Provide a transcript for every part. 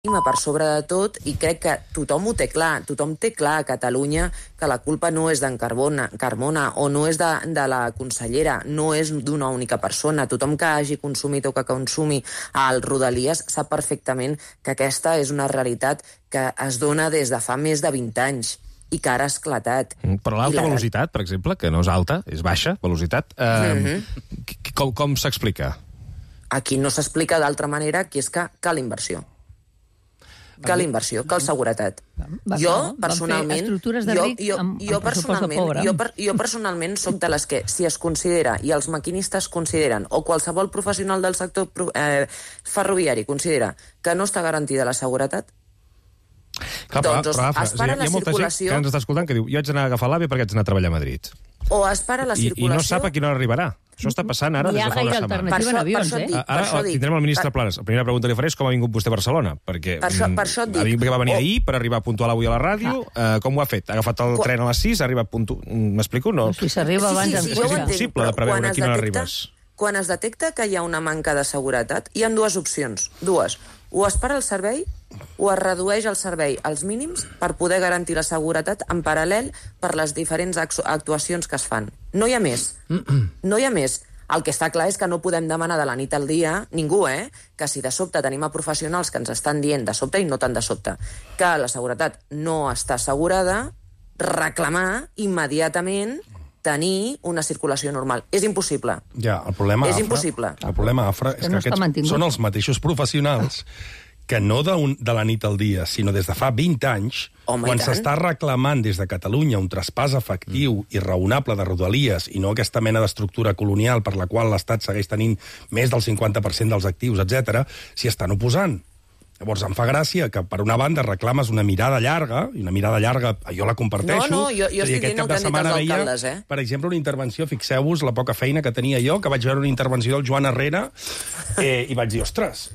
per sobre de tot, i crec que tothom ho té clar. Tothom té clar a Catalunya que la culpa no és d'en Carmona o no és de la consellera, no és d'una única persona. Tothom que hagi consumit o que consumi el Rodalies sap perfectament que aquesta és una realitat que es dona des de fa més de 20 anys i que ara ha esclatat. Però l'alta velocitat, per exemple, que no és alta, és baixa velocitat, com s'explica? Aquí no s'explica d'altra manera, que és que cal inversió. Cal inversió, cal seguretat. Jo, personalment, jo personalment soc de les que, si es considera, i els maquinistes consideren, o qualsevol professional del sector ferroviari considera que no està garantida la seguretat, clar, doncs es para la circulació... Hi ha molta gent que ens està escoltant que diu jo haig d'anar a agafar l'AVE perquè haig d'anar a treballar a Madrid. O es para la circulació... I no sap a quina hora arribarà. Això està passant ara des de fa una setmana. Ara tindrem el ministre Planes. La primera pregunta que li faré és com ha vingut vostè a Barcelona, perquè va venir ahir per arribar puntual avui a la ràdio. Com ho ha fet? Ha agafat el tren a les 6, ha arribat puntual... M'explico? No. Si s'arriba abans... És impossible de preveure a quina hora arribes. Quan es detecta que hi ha una manca de seguretat, hi ha dues opcions. O es para el servei o es redueix el servei als mínims per poder garantir la seguretat en paral·lel per les diferents actuacions que es fan. No hi ha més. No hi ha més. El que està clar és que no podem demanar de la nit al dia, ningú, que si de sobte tenim a professionals que ens estan dient de sobte i no tan de sobte, que la seguretat no està assegurada, reclamar immediatament tenir una circulació normal. És impossible. Ja, el problema, és impossible. El problema, Afra, és que aquests són els mateixos professionals que no de la nit al dia, sinó des de fa 20 anys, quan s'està reclamant des de Catalunya un traspàs efectiu i raonable de Rodalies i no aquesta mena d'estructura colonial per la qual l'Estat segueix tenint més del 50% dels actius, etc., s'hi estan oposant. Llavors, em fa gràcia que, per una banda, reclames una mirada llarga, i una mirada llarga jo la comparteixo. No, jo estic dient el que han dit els alcaldes, Per exemple, una intervenció, fixeu-vos la poca feina que tenia jo, que vaig veure una intervenció del Joan Herrera, i vaig dir, ostres,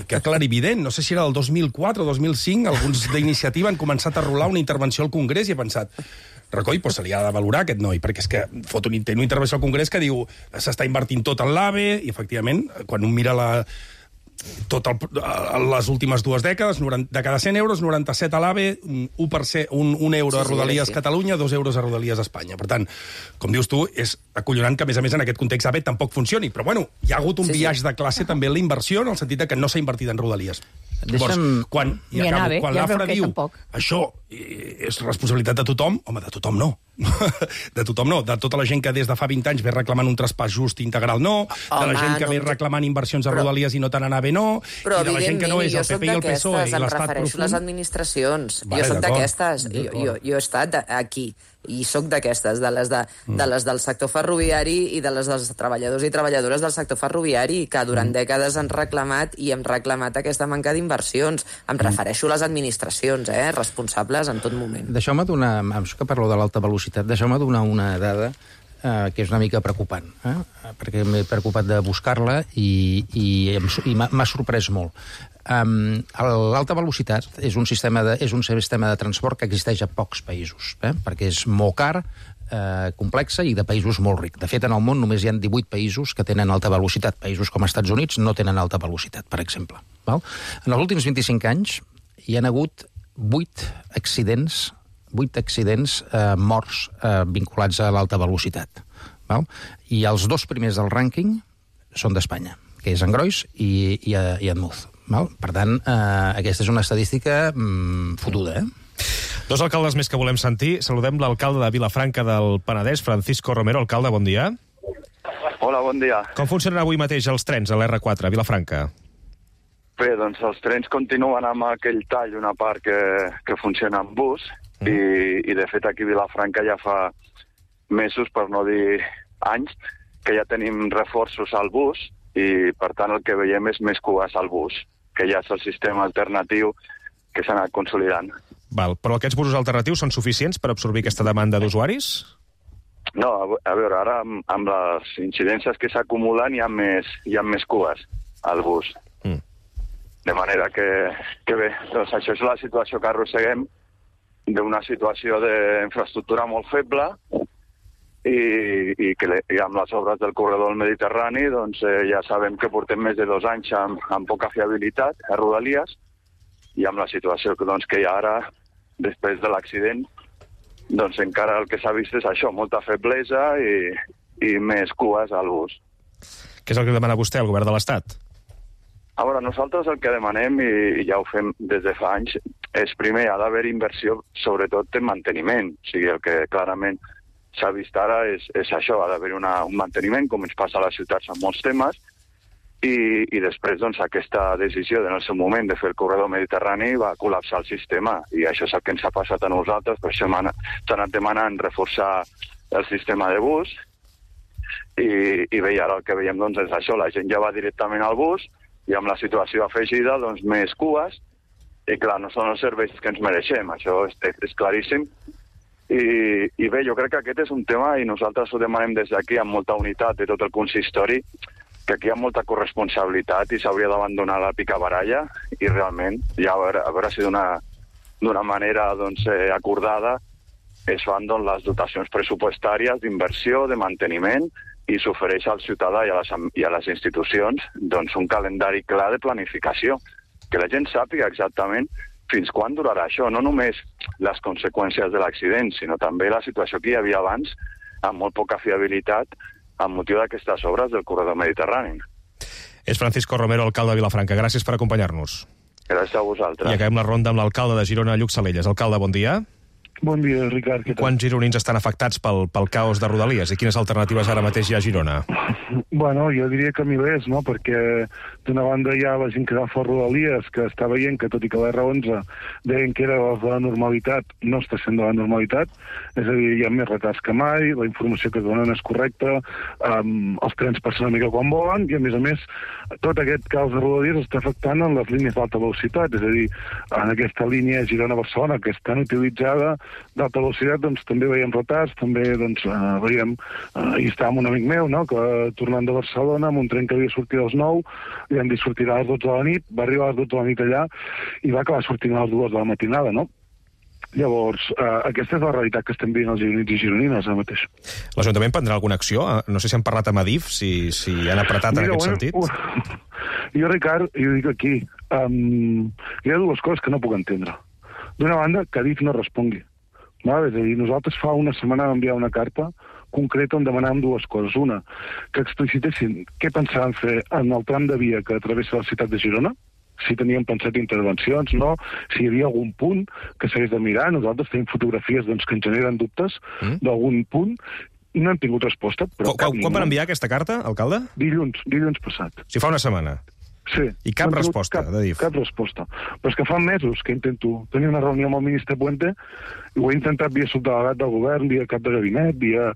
que clarivident, no sé si era del 2004 o 2005, alguns d'iniciativa han començat a rolar una intervenció al Congrés i he pensat, Racoy, però se li ha de valorar aquest noi, perquè és que té una intervenció al Congrés que diu s'està invertint tot en l'AVE, i efectivament, quan un mira les últimes 2 dècades, de cada 100 euros, 97 a l'AVE, 1 euro a Rodalies Catalunya, 2 euros a Rodalies Espanya. Per tant, com dius tu, és acollonant que, a més, en aquest context AVE tampoc funcioni. Però, bueno, hi ha hagut un viatge de classe també en la inversió, en el sentit que no s'ha invertit en Rodalies. Llavors, quan l'Afra diu això és responsabilitat de tothom, home, de tothom no. De tothom no. De tota la gent que des de fa 20 anys ve reclamant un traspàs just integral no, de la gent que ve reclamant inversions a Rodalies i no tant a AVE no, i de la gent que no és el PP i el PSOE i l'Estat profund. Em refereixo a les administracions. Jo soc d'aquestes. Jo he estat aquí. I soc d'aquestes, de les del sector ferroviari i de les dels treballadors i treballadores del sector ferroviari, que durant dècades han reclamat i hem reclamat aquesta manca d'inversions. Em refereixo a les administracions, responsables en tot moment. Deixeu-me donar, que parlo de l'alta velocitat, deixeu-me donar una dada que és una mica preocupant, perquè m'he preocupat de buscar-la i m'ha sorprès molt. L'alta velocitat és un sistema de transport que existeix a pocs països, perquè és molt car, complexa i de països molt rics. De fet, en el món només hi ha 18 països que tenen alta velocitat. Països com els Estats Units no tenen alta velocitat, per exemple. En els últims 25 anys hi ha hagut 8 accidents morts vinculats a l'alta velocitat. I els 2 primers del rànquing són d'Espanya, que és Engrois i Admuz. Per tant, aquesta és una estadística fotuda, 2 alcaldes més que volem sentir. Saludem l'alcalde de Vilafranca del Penedès, Francisco Romero. Alcalde, bon dia. Hola, bon dia. Com funcionen avui mateix els trens a l'R4 a Vilafranca? Bé, doncs els trens continuen amb aquell tall, una part que funciona amb bus, i de fet aquí a Vilafranca ja fa mesos, per no dir anys, que ja tenim reforços al bus i per tant el que veiem és més cues al bus, que ja és el sistema alternatiu que s'ha anat consolidant. Però aquests busos alternatius són suficients per absorbir aquesta demanda d'usuaris? No, a veure, ara amb les incidències que s'acumulen hi ha més cues al bus. De manera que bé, doncs això és la situació que arrosseguem, d'una situació d'infraestructura molt feble i amb les obres del corredor del Mediterrani doncs, ja sabem que portem més de 2 anys amb poca fiabilitat a Rodalies i amb la situació que hi ha ara, després de l'accident, doncs encara el que s'ha vist és això, molta feblesa i més cues al bus. Què és el que demana vostè al govern de l'Estat? A veure, nosaltres el que demanem, i ja ho fem des de fa anys, és primer, ha d'haver inversió, sobretot en manteniment. O sigui, el que clarament s'ha vist ara és això, ha d'haver un manteniment, com ens passa a les ciutats en molts temes, i després doncs, aquesta decisió en el seu moment de fer el corredor mediterrani va col·lapsar el sistema, i això és el que ens ha passat a nosaltres, per això s'ha anat demanant reforçar el sistema de bus, i bé, ara el que veiem doncs, és això, la gent ja va directament al bus, i amb la situació afegida, doncs, més cues, i clar, no són els serveis que ens mereixem, això és claríssim. I bé, jo crec que aquest és un tema, i nosaltres ho demanem des d'aquí amb molta unitat de tot el consistori, que aquí hi ha molta corresponsabilitat i s'hauria d'abandonar la picabaralla, i realment, ja a veure si d'una manera doncs, acordada es fan doncs, les dotacions pressupostàries d'inversió, de manteniment, i s'ofereix al ciutadà i a les institucions doncs, un calendari clar de planificació, que la gent sàpiga exactament fins quan durarà això, no només les conseqüències de l'accident, sinó també la situació que hi havia abans, amb molt poca fiabilitat, amb motiu d'aquestes obres del corredor mediterrani. És Francisco Romero, alcalde de Vilafranca. Gràcies per acompanyar-nos. Gràcies a vosaltres. I acabem la ronda amb l'alcalde de Girona, Lluc Salelles. Alcalde, bon dia. Bon dia, Ricard. Quants gironins estan afectats pel caos de Rodalies i quines alternatives ara mateix hi ha a Girona? Bueno, jo diria que milers, no? Perquè d'una banda hi ha la gent que va fora Rodalies, que està veient que, tot i que l'R11 deien que era de la normalitat, no està sent de la normalitat, és a dir, hi ha més retards que mai, la informació que donen és correcta, els trens passen una mica quan volen, i a més, tot aquest caos de Rodalies està afectant en les línies d'alta velocitat, és a dir, en aquesta línia Girona-Barcelona, que és tan utilitzada, d'alta velocitat, doncs també veiem retards, també doncs, veiem, hi està amb un amic meu, no?, que tornant de Barcelona, amb un tren que havia sortit a les 9, li han dit sortirà a les 12 de la nit, va arribar a les 12 de la nit allà i va acabar sortint a les 2 de la matinada, no? Llavors, aquesta és la realitat que estem veient els gironins i gironines ara mateix. L'Ajuntament prendrà alguna acció? No sé si han parlat amb Adif, si han apretat en aquest sentit. Jo, Ricard, jo dic aquí, hi ha dues coses que no puc entendre. D'una banda, que Adif no respongui. És a dir, nosaltres fa una setmana vam enviar una carta concreta on demanàvem dues coses. Una, que explicitessin què pensaven fer en el tram de via que travessa la ciutat de Girona, si tenien pensat intervencions, no, si hi havia algun punt que s'hagués de mirar. Nosaltres tenim fotografies doncs, que ens generen dubtes d'algun punt, i no hem tingut resposta. Quan van enviar aquesta carta, alcalde? Dilluns passat. Si fa una setmana? Sí. I cap resposta d'Adif? Cap resposta. Però és que fa mesos que intento tenir una reunió amb el ministre Puente i ho he intentat via subdelegat del govern, via cap de gabinet, via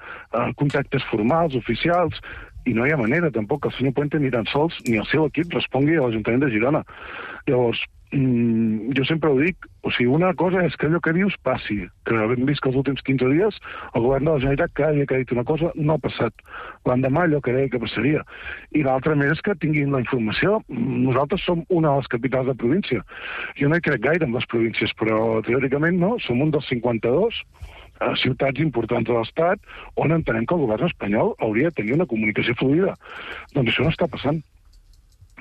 contactes formals, oficials, i no hi ha manera tampoc que el senyor Puente ni tan sols ni el seu equip respongui a l'Ajuntament de Girona. Llavors, jo sempre ho dic, o sigui, una cosa és que allò que dius passi, que hem vist que els últims 15 dies el govern de la Generalitat cada dia que ha dit una cosa no ha passat. L'endemà allò que deia que passaria. I l'altra més és que tinguin la informació. Nosaltres som una de les capitals de província. Jo no hi crec gaire en les províncies, però teòricament no, som un dels 52 ciutats importants de l'Estat on entenem que el govern espanyol hauria de tenir una comunicació fluida. Doncs això no està passant.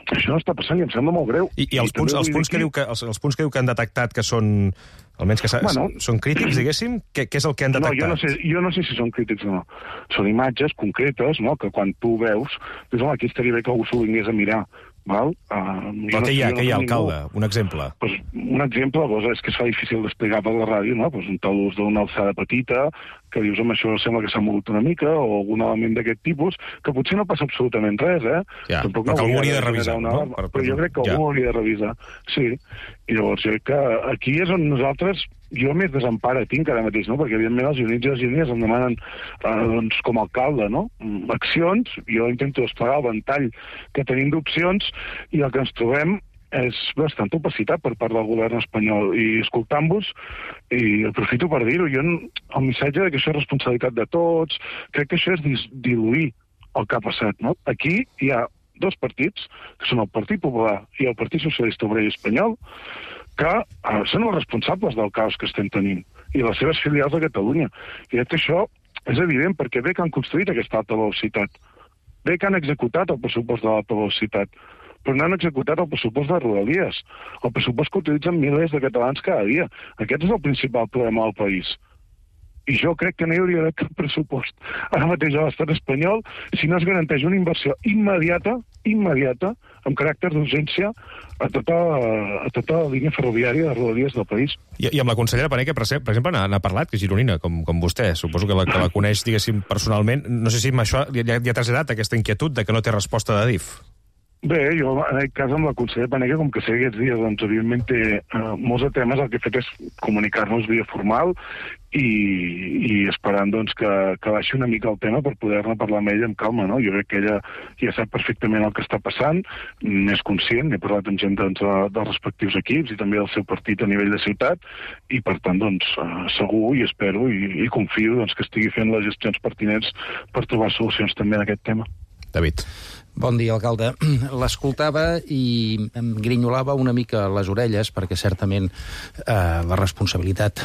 Això no està passant i em sembla molt greu. I els punts que diu que han detectat que són, almenys que són crítics, diguéssim, què és el que han detectat? Jo no sé si són crítics o no. Són imatges concretes, no?, que quan tu veus, dius, home, aquí estaria bé que algú s'ho vingués a mirar. Val? Però què hi ha, alcalde? Un exemple? Pues, un exemple és que es fa difícil d'explicar per la ràdio, no? Pues un talús d'una alçada petita, que dius, home, això sembla que s'ha mogut una mica, o algun element d'aquest tipus, que potser no passa absolutament res, Ja, però que algú hauria de revisar, no? Però jo crec que algú hauria de revisar, sí. I llavors, jo crec que aquí és on nosaltres, jo més desempara tinc ara mateix, no? Perquè evidentment els gironins i les gironines em demanen, doncs, com a alcalde, no?, accions. Jo intento desplegar el ventall que tenim d'opcions i el que ens trobem és bastanta opacitat per part del govern espanyol. I escoltant-vos, i aprofito per dir-ho, jo el missatge que això és responsabilitat de tots, crec que això és diluir el que ha passat, no? Aquí hi ha dos partits, que són el Partit Popular i el Partit Socialista Obrer Espanyol, que són els responsables del caos que estem tenint, i les seves filials a Catalunya. I crec que això és evident, perquè bé que han construït aquesta alta velocitat, bé que han executat el pressupost de l'alta velocitat, però no han executat el pressupost de Rodalies, el pressupost que utilitzen milers de catalans cada dia. Aquest és el principal problema del país. I jo crec que no hi hauria d'haver cap pressupost ara mateix a l'estat espanyol si no es garanteix una inversió immediata, amb caràcter d'urgència, a tota la línia ferroviària de Rodalies del país. I amb la consellera Pané, que per exemple n'ha parlat, que és gironina, com vostè. Suposo que la coneix, diguéssim, personalment. No sé si amb això ja ha traslladat aquesta inquietud de que no té resposta d'Adif. Bé, jo en aquest cas amb la consellera Paneque, com que sé aquests dies, doncs evidentment té molts de temes, el que he fet és comunicar-nos via formal i esperant doncs que baixi una mica el tema per poder-ne parlar amb ella amb calma, no? Jo crec que ella ja sap perfectament el que està passant, n'és conscient, he parlat amb gent doncs, dels respectius equips i també del seu partit a nivell de ciutat, i per tant doncs segur i espero i confio doncs, que estigui fent les gestions pertinents per trobar solucions també en aquest tema. David. Bon dia, alcalde. L'escoltava i em grinyolava una mica les orelles, perquè certament la responsabilitat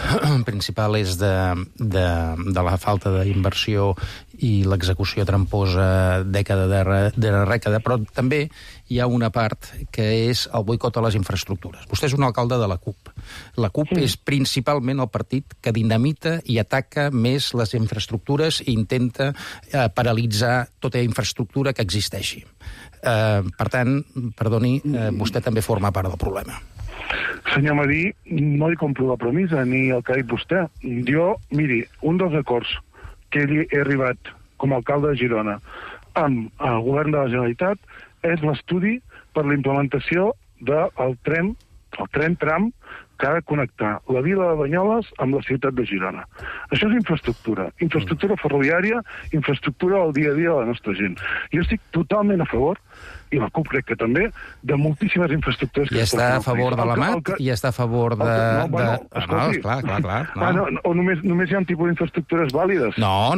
principal és de la falta d'inversió i l'execució tramposa dècada darrere dècada, però també hi ha una part que és el boicot a les infraestructures. Vostè és un alcalde de la CUP. La CUP és principalment el partit que dinamita i ataca més les infraestructures i intenta paralitzar tota infraestructura que existeixi. Per tant, perdoni, vostè també forma part del problema. Senyor Madí, no li compro la premissa ni el que ha dit vostè. Jo, miri, un dels acords que he arribat com a alcalde de Girona amb el govern de la Generalitat és l'estudi per la implementació del tren tram que ha de connectar la vila de Banyoles amb la ciutat de Girona. Això és infraestructura ferroviària, infraestructura del dia a dia de la nostra gent. Jo estic totalment a favor, i la CUP crec que també, de moltíssimes infraestructures... I està a favor de la MAT? I està a favor de... Escolti, o només hi ha un tipus d'infraestructures vàlides? No,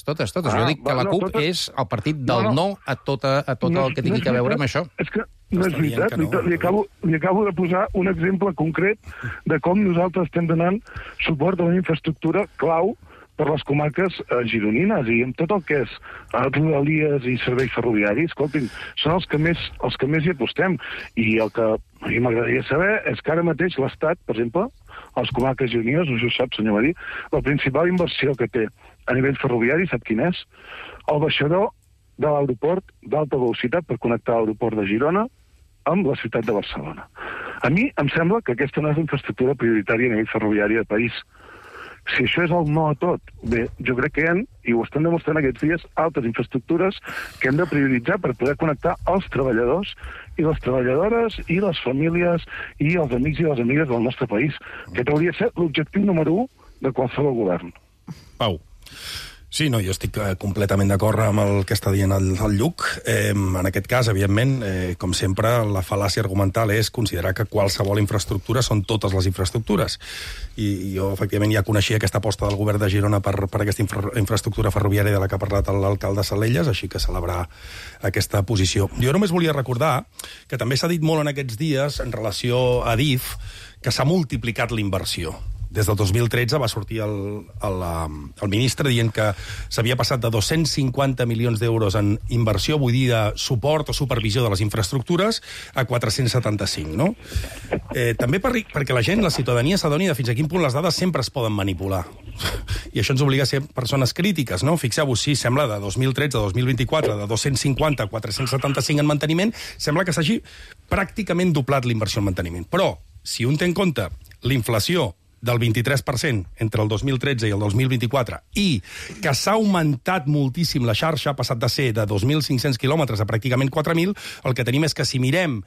totes. Jo dic que la CUP és el partit del no a tot el que tingui a veure amb això. És que no és veritat. Li acabo de posar un exemple concret de com nosaltres estem donant suport a una infraestructura clau per les comarques gironines, i amb tot el que és Rodalies i serveis ferroviaris, escoltin, són els que més hi apostem. I el que a mi m'agradaria saber és que ara mateix l'Estat, per exemple, a les comarques gironines, no sé si ho sap, senyor Madí, la principal inversió que té a nivell ferroviari, sap quin és? El baixador de l'aeroport d'alta velocitat per connectar l'aeroport de Girona amb la ciutat de Barcelona. A mi em sembla que aquesta no és l'infraestructura prioritària a nivell ferroviari del país. Si això és el no a tot, bé, jo crec que hi ha, i ho estan demostrant aquests dies, altres infraestructures que hem de prioritzar per poder connectar els treballadors i les treballadores i les famílies i els amics i les amigues del nostre país, que hauria de ser l'objectiu número 1 de qualsevol govern. Pau. Sí, no, jo estic completament d'acord amb el que està dient el Lluc. En aquest cas, evidentment, com sempre, la fal·làcia argumental és considerar que qualsevol infraestructura són totes les infraestructures. I jo, efectivament, ja coneixia aquesta aposta del govern de Girona per aquesta infraestructura ferroviària de la que ha parlat l'alcalde Salelles, així que celebrar aquesta posició. Jo només volia recordar que també s'ha dit molt en aquests dies, en relació a Adif, que s'ha multiplicat l'inversió. Des del 2013 va sortir el ministre dient que s'havia passat de 250 milions d'euros en inversió, vull dir de suport o supervisió de les infraestructures, a 475, no? També perquè la gent, la ciutadania, s'adoni de fins a quin punt les dades sempre es poden manipular. I això ens obliga a ser persones crítiques, no? Fixeu-vos, sí, sembla de 2013 a 2024, de 250 a 475 en manteniment, sembla que s'hagi pràcticament doblat l'inversió en manteniment. Però, si un té en compte l'inflació del 23% entre el 2013 i el 2024, i que s'ha augmentat moltíssim la xarxa, ha passat de ser de 2.500 quilòmetres a pràcticament 4.000, el que tenim és que si mirem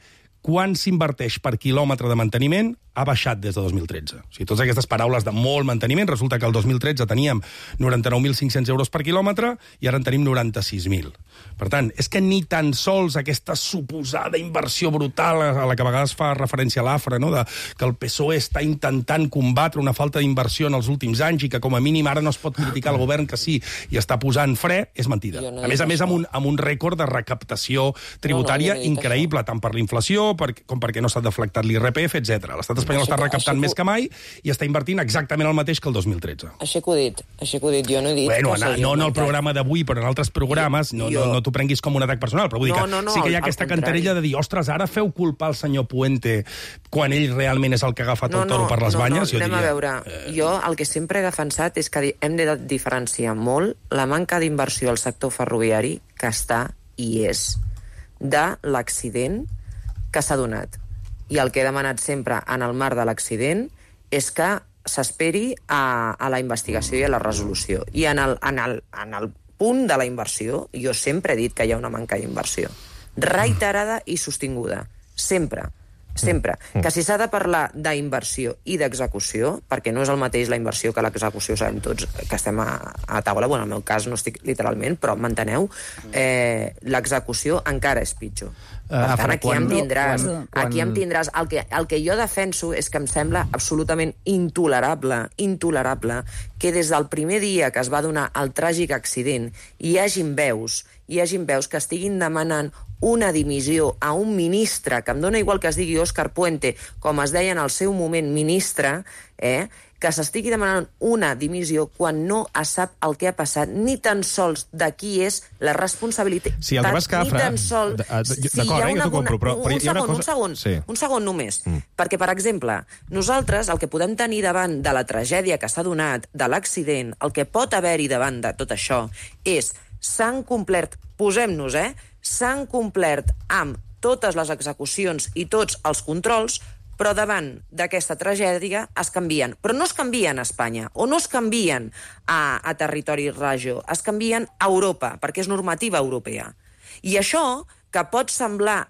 quan s'inverteix per quilòmetre de manteniment, ha baixat des de 2013. O sigui, totes aquestes paraules de molt manteniment, resulta que el 2013 teníem 99.500 euros per quilòmetre i ara en tenim 96.000. Per tant, és que ni tan sols aquesta suposada inversió brutal a la que a vegades fa referència a l'AFRA, no? Que el PSOE està intentant combatre una falta d'inversió en els últims anys i que com a mínim ara no es pot criticar el govern que sí i està posant fre, és mentida. A més, amb un rècord de recaptació tributària increïble, tant per l'inflació com perquè no s'ha deflactat l'IRPF, etc. L'estat espanyol està recaptant més que mai i està invertint exactament el mateix que el 2013. Així que ho he dit, jo no he dit... Bueno, no en el programa d'avui, però en altres programes, no t'ho prenguis com un atac personal, però vull dir que sí que hi ha aquesta cantarella de dir, ostres, ara feu culpar el senyor Puente quan ell realment és el que ha agafat el toro per les banyes. Anem a veure, jo el que sempre he defensat és que hem de diferenciar molt la manca d'inversió al sector ferroviari, que està i és, de l'accident que s'ha donat. I el que he demanat sempre en el marc de l'accident és que s'esperi a la investigació i a la resolució. I en el punt de la inversió, jo sempre he dit que hi ha una manca d'inversió. Reiterada i sostinguda. Sempre. Que si s'ha de parlar d'inversió i d'execució, perquè no és el mateix la inversió que l'execució, sabem tots que estem a taula, bueno, en el meu cas no estic literalment, però m'enteneu, l'execució encara és pitjor. Per tant, aquí em tindràs. El que jo defenso és que em sembla absolutament intolerable que des del primer dia que es va donar el tràgic accident hi hagin veus que estiguin demanant una dimissió a un ministre, que em dóna igual que es digui Òscar Puente, com es deia en el seu moment ministre, que s'estigui demanant una dimissió quan no es sap el que ha passat, ni tan sols de qui és la responsabilitat. Sí, el que va escafra... D'acord, jo t'ho compro, però hi ha una cosa... Un segon només. Perquè, per exemple, nosaltres el que podem tenir davant de la tragèdia que s'ha donat, de l'accident, el que pot haver-hi davant de tot això és s'han complert, posem-nos, s'han complert amb totes les execucions i tots els controls, però davant d'aquesta tragèdia es canvien. Però no es canvien a Espanya, o no es canvien a territori regió, es canvien a Europa, perquè és normativa europea. I això, que pot semblar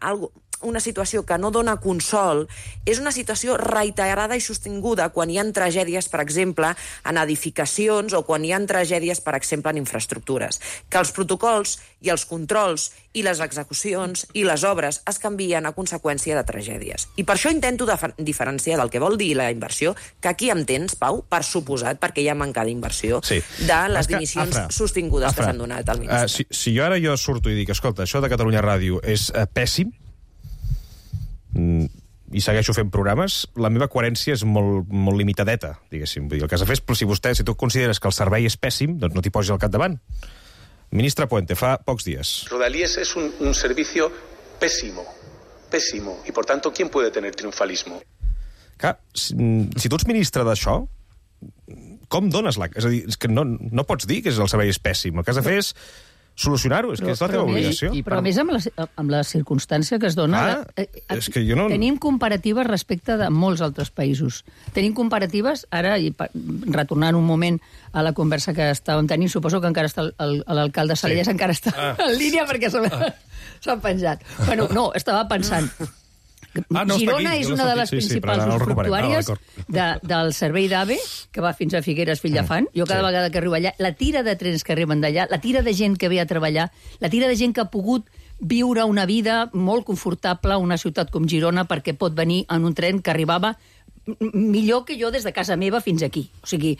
una situació que no dona consol, és una situació reiterada i sostinguda quan hi ha tragèdies, per exemple, en edificacions o quan hi ha tragèdies, per exemple, en infraestructures. Que els protocols i els controls i les execucions i les obres es canvien a conseqüència de tragèdies. I per això intento diferenciar del que vol dir la inversió, que aquí em tens, Pau, per suposat, perquè hi ha manca d'inversió, de les dimissions sostingudes que s'han donat al ministre. Si jo ara surto i dic, escolta, això de Catalunya Ràdio és pèssim, i segueixo fent programes, la meva coherència és molt limitadeta, diguéssim. Vull dir, el que has de fer és, si tu consideres que el servei és pèssim, doncs no t'hi posis al capdavant. Ministre Puente, fa pocs dies. Rodalies es un servicio pésimo, y por tanto, ¿quién puede tener triunfalismo? Clar, si tu ets ministre d'això, com dones la... És a dir, és que no pots dir que el servei és pèssim. El que has de fer és solucionar-ho, és que és la teva obligació. Però a més, amb la circumstància que es dona... És que jo no... Tenim comparatives respecte de molts altres països. Tenim comparatives, ara, i retornant un moment a la conversa que estàvem tenint, suposo que encara està l'alcalde Salelles, encara està en línia perquè s'ha penjat. Bueno, no, estava pensant... Girona és una de les principals usufructuàries del servei d'AVE, que va fins a Figueres, Vilafant. Jo cada vegada que arribo allà, la tira de trens que arriben d'allà, la tira de gent que ve a treballar, la tira de gent que ha pogut viure una vida molt confortable a una ciutat com Girona perquè pot venir en un tren que arribava millor que jo des de casa meva fins aquí. O sigui,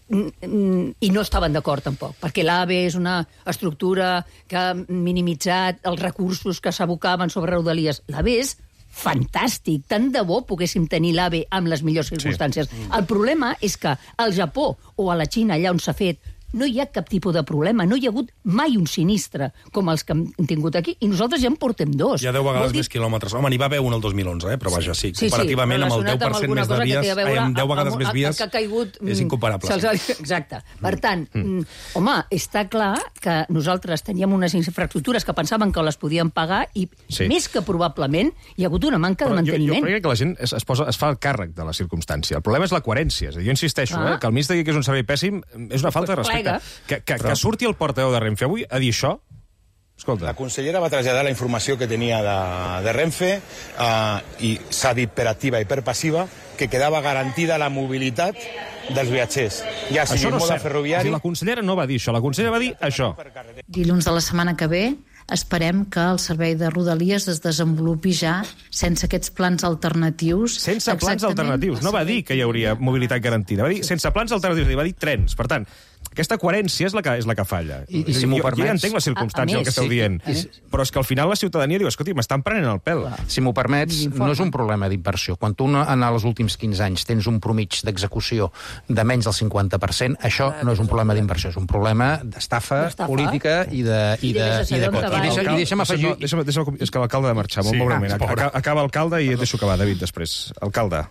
i no estaven d'acord tampoc, perquè l'AVE és una estructura que ha minimitzat els recursos que s'abocaven sobre Rodalies. L'AVE és fantàstic, tant de bo poguéssim tenir l'AVE amb les millors circumstàncies. El problema és que al Japó o a la Xina, allà on s'ha fet, no hi ha cap tipus de problema, no hi ha hagut mai un sinistre com els que hem tingut aquí, i nosaltres ja en portem dos. Hi ha 10 vegades més quilòmetres. Home, n'hi va haver un el 2011, però vaja, sí, comparativament amb el 10% més de vies, amb 10 vegades més vies, és incomparable. Exacte. Per tant, home, està clar que nosaltres teníem unes infraestructures que pensàvem que les podíem pagar i més que probablement hi ha hagut una manca de manteniment. Jo crec que la gent es fa el càrrec de la circumstància. El problema és la coherència. Jo insisteixo, que el ministre digui que és un servei pèssim és una falta de respecte. Que surti el portaveu de Renfe avui a dir això? Escolta. La consellera va traslladar la informació que tenia de Renfe i s'ha dit per activa i per passiva que quedava garantida la mobilitat dels viatgers. Ja sigui mode ferroviari... La consellera no va dir això, la consellera va dir això. Dilluns de la setmana que ve esperem que el servei de Rodalies es desenvolupi ja sense aquests plans alternatius. Sense plans alternatius. No va dir que hi hauria mobilitat garantida. Va dir sense plans alternatius, va dir trens. Per tant, Aquesta coherència és la que falla. I si m'ho permets... Jo ja entenc les circumstàncies del que esteu dient, però és que al final la ciutadania diu, escolti, m'estan prenent el pèl. Si m'ho permets, no és un problema d'inversió. Quan tu en els últims 15 anys tens un promig d'execució de menys del 50%, això no és un problema d'inversió, és un problema d'estafa política i de... I deixa'm afegir... És que l'alcalde ha de marxar, molt breument. Acaba l'alcalde i et deixo acabar, David, després. Alcalde.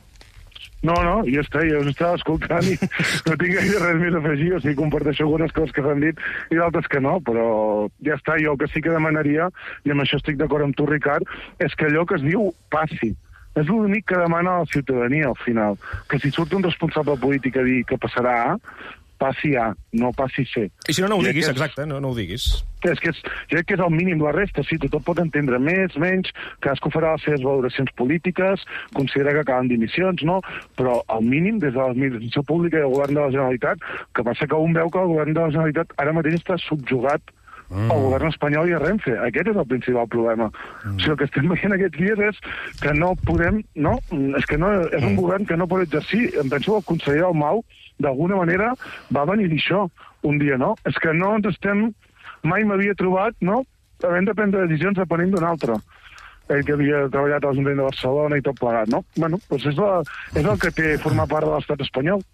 No, ja està, jo us estava escoltant i no tinc gaire res més a afegir, o sigui, comparteixo algunes coses que s'han dit i d'altres que no, però ja està, jo el que sí que demanaria, i amb això estic d'acord amb tu, Ricard, és que allò que es diu passi. És l'únic que demana la ciutadania, al final, que si surt un responsable polític a dir que passarà A, passi A, no passi C. I si no ho diguis, exacte, no ho diguis. Jo crec que és el mínim, la resta, sí, tothom pot entendre més, menys, cadascú farà les seves valoracions polítiques, considera que calen dimissions, no? Però el mínim, des de l'administració pública i el govern de la Generalitat, que passa que un veu que el govern de la Generalitat ara mateix està subjugat al govern espanyol i a Renfe. Aquest és el principal problema. O sigui, el que estem veient aquests dies és que no podem... No, és que no, és un govern que no pot exercir. Em penso que el conseller Dalmau, d'alguna manera, va venir a dir això un dia, no? És que no ens estem... Mai m'havia trobat, no?, havent de prendre decisions depenent d'un altre. Ell que havia treballat a l'Ajuntament de Barcelona i tot plegat, no? Bueno, doncs és el que té formar part de l'estat espanyol.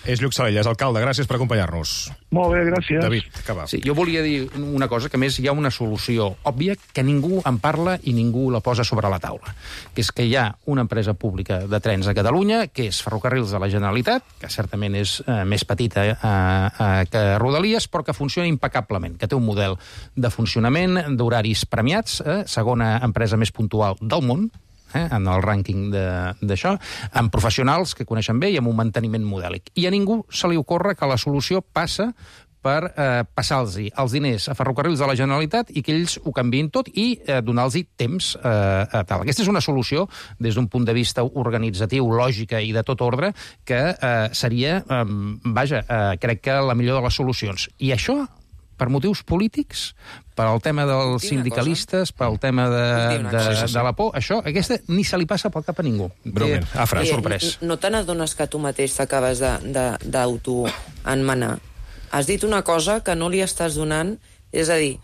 És Lluc Salelles, alcalde. Gràcies per acompanyar-nos. Molt bé, gràcies. David, acaba. Sí, jo volia dir una cosa, que més hi ha una solució òbvia que ningú en parla i ningú la posa sobre la taula, que és que hi ha una empresa pública de trens a Catalunya, que és Ferrocarrils de la Generalitat, que certament és més petita que Rodalies, però que funciona impecablement, que té un model de funcionament, d'horaris premiats, segona empresa més puntual del món, en el rànquing d'això, amb professionals que coneixen bé i amb un manteniment modèlic. I a ningú se li ocorre que la solució passa per passar-los els diners a Ferrocarrils de la Generalitat i que ells ho canviïn tot i donar-los temps tal. Aquesta és una solució, des d'un punt de vista organitzatiu, lògica i de tot ordre, que seria, crec que la millor de les solucions. I això, per motius polítics, per al tema dels sindicalistes, per al tema de la por, aquesta ni se li passa pel cap a ningú. Breument, Afra, sorprès. No te n'adones que tu mateix t'acabes d'autoenmenar? Has dit una cosa que no li estàs donant, és a dir,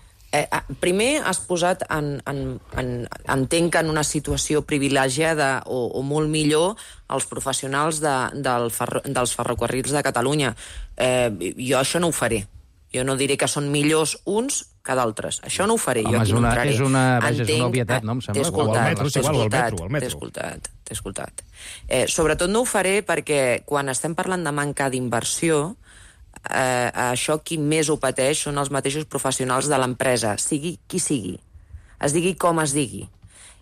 primer has posat, entenc que en una situació privilegiada o molt millor, els professionals dels ferrocarrils de Catalunya. Jo això no ho faré. Jo no diré que són millors uns que d'altres. Això no ho faré. Home, jo aquí no entraré. És una obvietat, no? Em sembla. T'he escoltat. Sobretot no ho faré perquè quan estem parlant de manca d'inversió, això qui més ho pateix són els mateixos professionals de l'empresa, sigui qui sigui, es digui com es digui.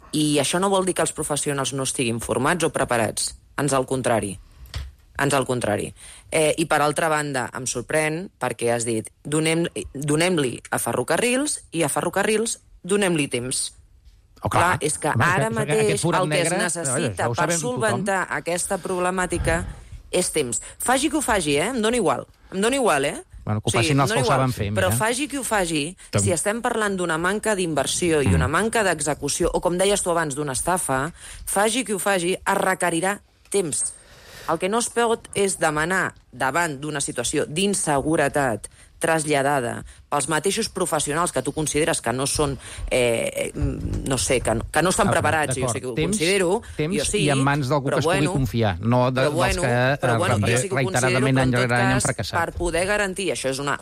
I això no vol dir que els professionals no estiguin formats o preparats. Ans al contrari. I per altra banda, em sorprèn perquè has dit donem-li a Ferrocarrils i a Ferrocarrils donem-li temps. Clar, és que ara mateix el que es necessita per solventar aquesta problemàtica és temps. Faci que ho faci, em dóna igual. Bueno, que ho facin els que ho saben fer. Però faci qui ho faci, si estem parlant d'una manca d'inversió i una manca d'execució, o com deies tu abans, d'una estafa, faci qui ho faci, es requerirà temps. El que no es pot és demanar, davant d'una situació d'inseguretat traslladada pels mateixos professionals que tu consideres que no són, no sé, que no estan preparats, jo sé que ho considero, jo sí, i en mans d'algú que es pugui confiar, no dels que reiteradament any rere any han fracassat. Per poder garantir, això és una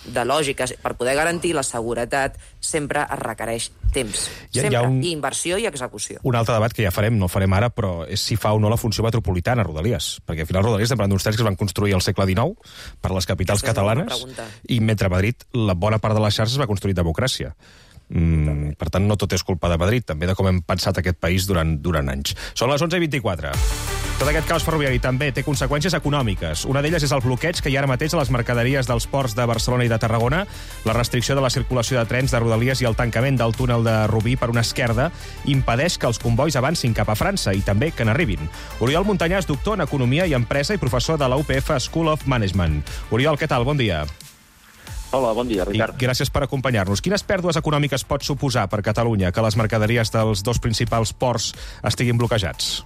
de lògica, per poder garantir la seguretat sempre es requereix temps. Sempre, i inversió i execució. Un altre debat que ja farem, no el farem ara, però és si fa o no la funció metropolitana, Rodalies. Perquè al final Rodalies estem parlant d'uns trens que es van construir al segle XIX per les capitals catalanes, i mentre a Madrid la bona part de la xarxa es va construir democràcia. Per tant, no tot és culpa de Madrid, també de com hem pensat aquest país durant anys. Són les 11:24. Tot aquest caos ferroviari també té conseqüències econòmiques. Una d'elles és el bloqueig que hi ha ara mateix a les mercaderies dels ports de Barcelona i de Tarragona, la restricció de la circulació de trens de Rodalies i el tancament del túnel de Rubí per una esquerda impedeix que els convois avancin cap a França i també que n'arribin. Oriol Montanyà és doctor en Economia i Empresa i professor de la UPF School of Management. Oriol, què tal? Bon dia. Hola, bon dia, Ricard. I gràcies per acompanyar-nos. Quines pèrdues econòmiques pot suposar per Catalunya que les mercaderies dels dos principals ports estiguin bloquejats?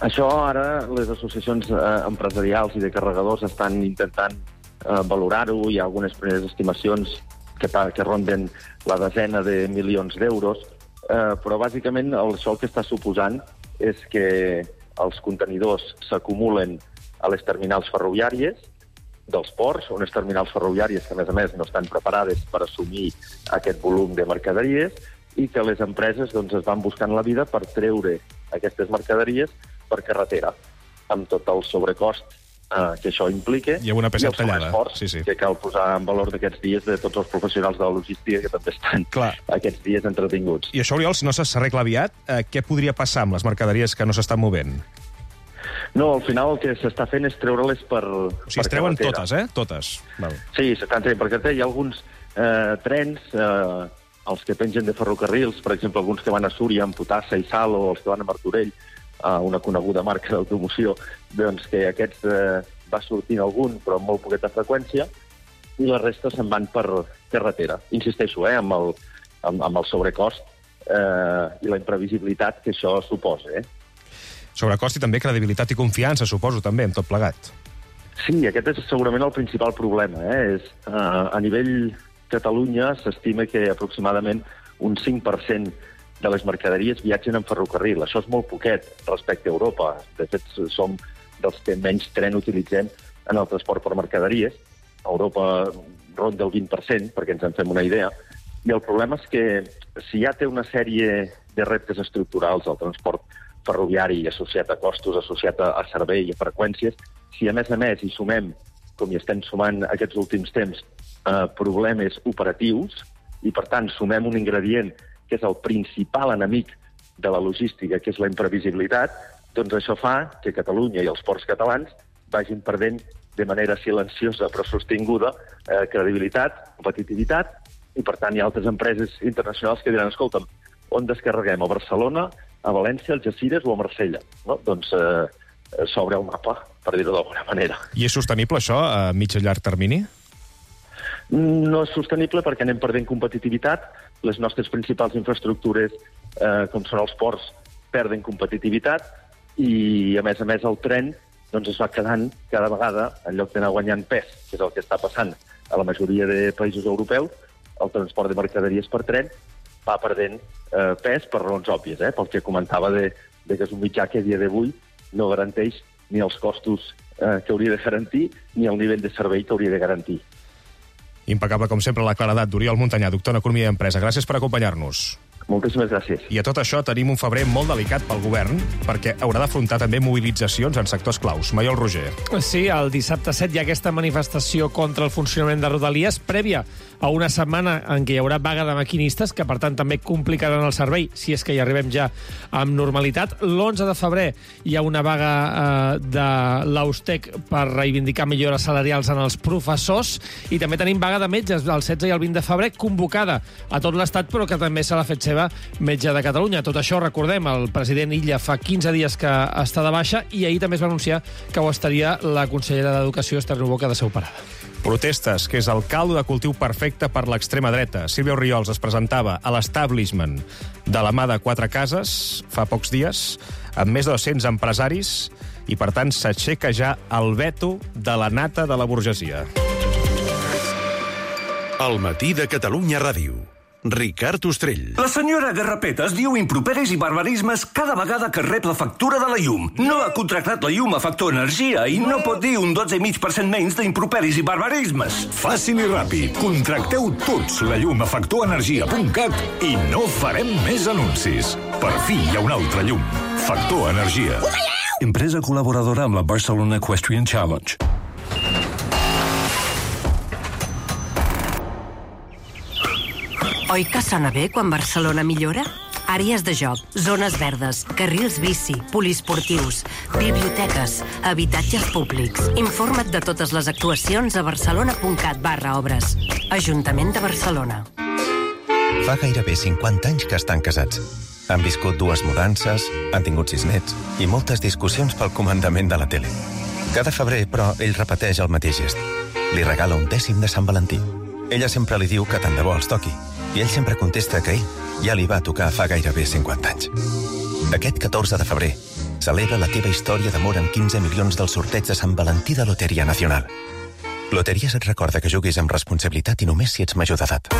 Això ara les associacions empresarials i de carregadors estan intentant valorar-ho. Hi ha algunes primeres estimacions que ronden la desena de milions d'euros, però bàsicament això el que està suposant és que els contenidors s'acumulen a les terminals ferroviàries dels ports, unes terminals ferroviàries que, a més, no estan preparades per assumir aquest volum de mercaderies i que les empreses es van buscant la vida per treure aquestes mercaderies per carretera, amb tot el sobrecost que això implica i una peça tallada, que cal posar en valor d'aquests dies de tots els professionals de la logística que també estan aquests dies entretinguts. I això, Oriol, si no s'arregla aviat, què podria passar amb les mercaderies que no s'estan movent? No, al final el que s'està fent és treure-les per carretera. O sigui, es treuen totes, Totes. Val. Sí, s'estan traient per carretera. Hi ha alguns trens, els que pengen de ferrocarrils, per exemple, alguns que van a Súria amb potassa i sal, o els que van a Martorell, una coneguda marca d'automoció, doncs que aquests va sortint algun, però amb molt poqueta freqüència, i la resta se'n van per carretera. Insisteixo, amb el sobrecost i la imprevisibilitat que això suposa. Sobrecost i també credibilitat i confiança, suposo, també, amb tot plegat. Sí, aquest és segurament el principal problema. A nivell Catalunya s'estima que aproximadament un 5% de les mercaderies viatgen en ferrocarril. Això és molt poquet respecte a Europa. De fet, som dels que menys tren utilitzem en el transport per mercaderies. A Europa ronda el 20%, perquè ens en fem una idea. I el problema és que si ja té una sèrie de reptes estructurals al transport ferroviari associat a costos, associat a servei i a freqüències, si a més hi sumem, com hi estem sumant aquests últims temps, problemes operatius, i per tant sumem un ingredient que és el principal enemic de la logística, que és la imprevisibilitat, doncs això fa que Catalunya i els ports catalans vagin perdent de manera silenciosa però sostinguda credibilitat, competitivitat, i per tant hi ha altres empreses internacionals que diran, escolta'm, on descarreguem? A Barcelona, a València, a Algeciras o a Marsella? No? Doncs s'obre el mapa, per dir-ho d'alguna manera. I és sostenible això a mig i llarg termini? No és sostenible perquè anem perdent competitivitat. Les nostres principals infraestructures, com són els ports, perden competitivitat i, a més, el tren es va quedant cada vegada, en lloc d'anar guanyant pes, que és el que està passant a la majoria de països europeus, el transport de mercaderies per tren va perdent pes per raons òbvies, pel que comentava que és un mitjà que a dia d'avui no garanteix ni els costos que hauria de garantir ni el nivell de servei que hauria de garantir. Impecable, com sempre, la claredat d'Oriol Montanyà, doctor en Economia i Empresa. Gràcies per acompanyar-nos. Moltíssimes gràcies. I a tot això tenim un febrer molt delicat pel govern, perquè haurà d'afrontar també mobilitzacions en sectors claus. Maiol Roger. Sí, el dissabte 7 hi ha aquesta manifestació contra el funcionament de Rodalies, prèvia a una setmana en què hi haurà vaga de maquinistes, que per tant també complicaran el servei, si és que hi arribem ja amb normalitat. L'11 de febrer hi ha una vaga de l'Austec per reivindicar millores salarials en els professors, i també tenim vaga de metges el 16 i el 20 de febrer, convocada a tot l'Estat, però que també se l'ha fet seva metge de Catalunya. Tot això, recordem, el president Illa fa 15 dies que està de baixa, i ahir també es va anunciar que ho estaria la consellera d'Educació, Esther Ribó, que ha de ser operada. Protestes, que és el caldo de cultiu perfecte per l'extrema dreta. Sílvia Orriols es presentava a l'Establishment de la mà de 4 cases fa pocs dies, amb més de 200 empresaris, i per tant s'aixeca ja el veto de la nata de la burgesia. El matí de Catalunya Ràdio. Ricard Ostrell. La senyora Garrapetes diu improperis i barbarismes cada vegada que rep la factura de la llum. No ha contractat la llum a Factor Energia i no pot dir un 12,5% menys d'improperis i barbarismes. Fàcil i ràpid. Contracteu tots la llum a factorenergia.cat i no farem més anuncis. Per fi hi ha una altra llum. Factor Energia. Empresa col·laboradora amb la Barcelona Equestrian Challenge. Oi que sona bé quan Barcelona millora? Àrees de joc, zones verdes, carrils bici, poliesportius, biblioteques, habitatges públics. Informa't de totes les actuacions a barcelona.cat/obres. Ajuntament de Barcelona. Fa gairebé 50 anys que estan casats. Han viscut 2 mudances, han tingut 6 nets i moltes discussions pel comandament de la tele. Cada febrer, però, ell repeteix el mateix gest. Li regala un dècim de Sant Valentí. Ella sempre li diu que tant de bo els toqui, i ell sempre contesta que ell ja li va tocar fa gairebé 50 anys. Aquest 14 de febrer celebra la teva història d'amor amb 15 milions del sorteig de Sant Valentí de Loteria Nacional. Loteries et recorda que juguis amb responsabilitat i només si ets major d'edat.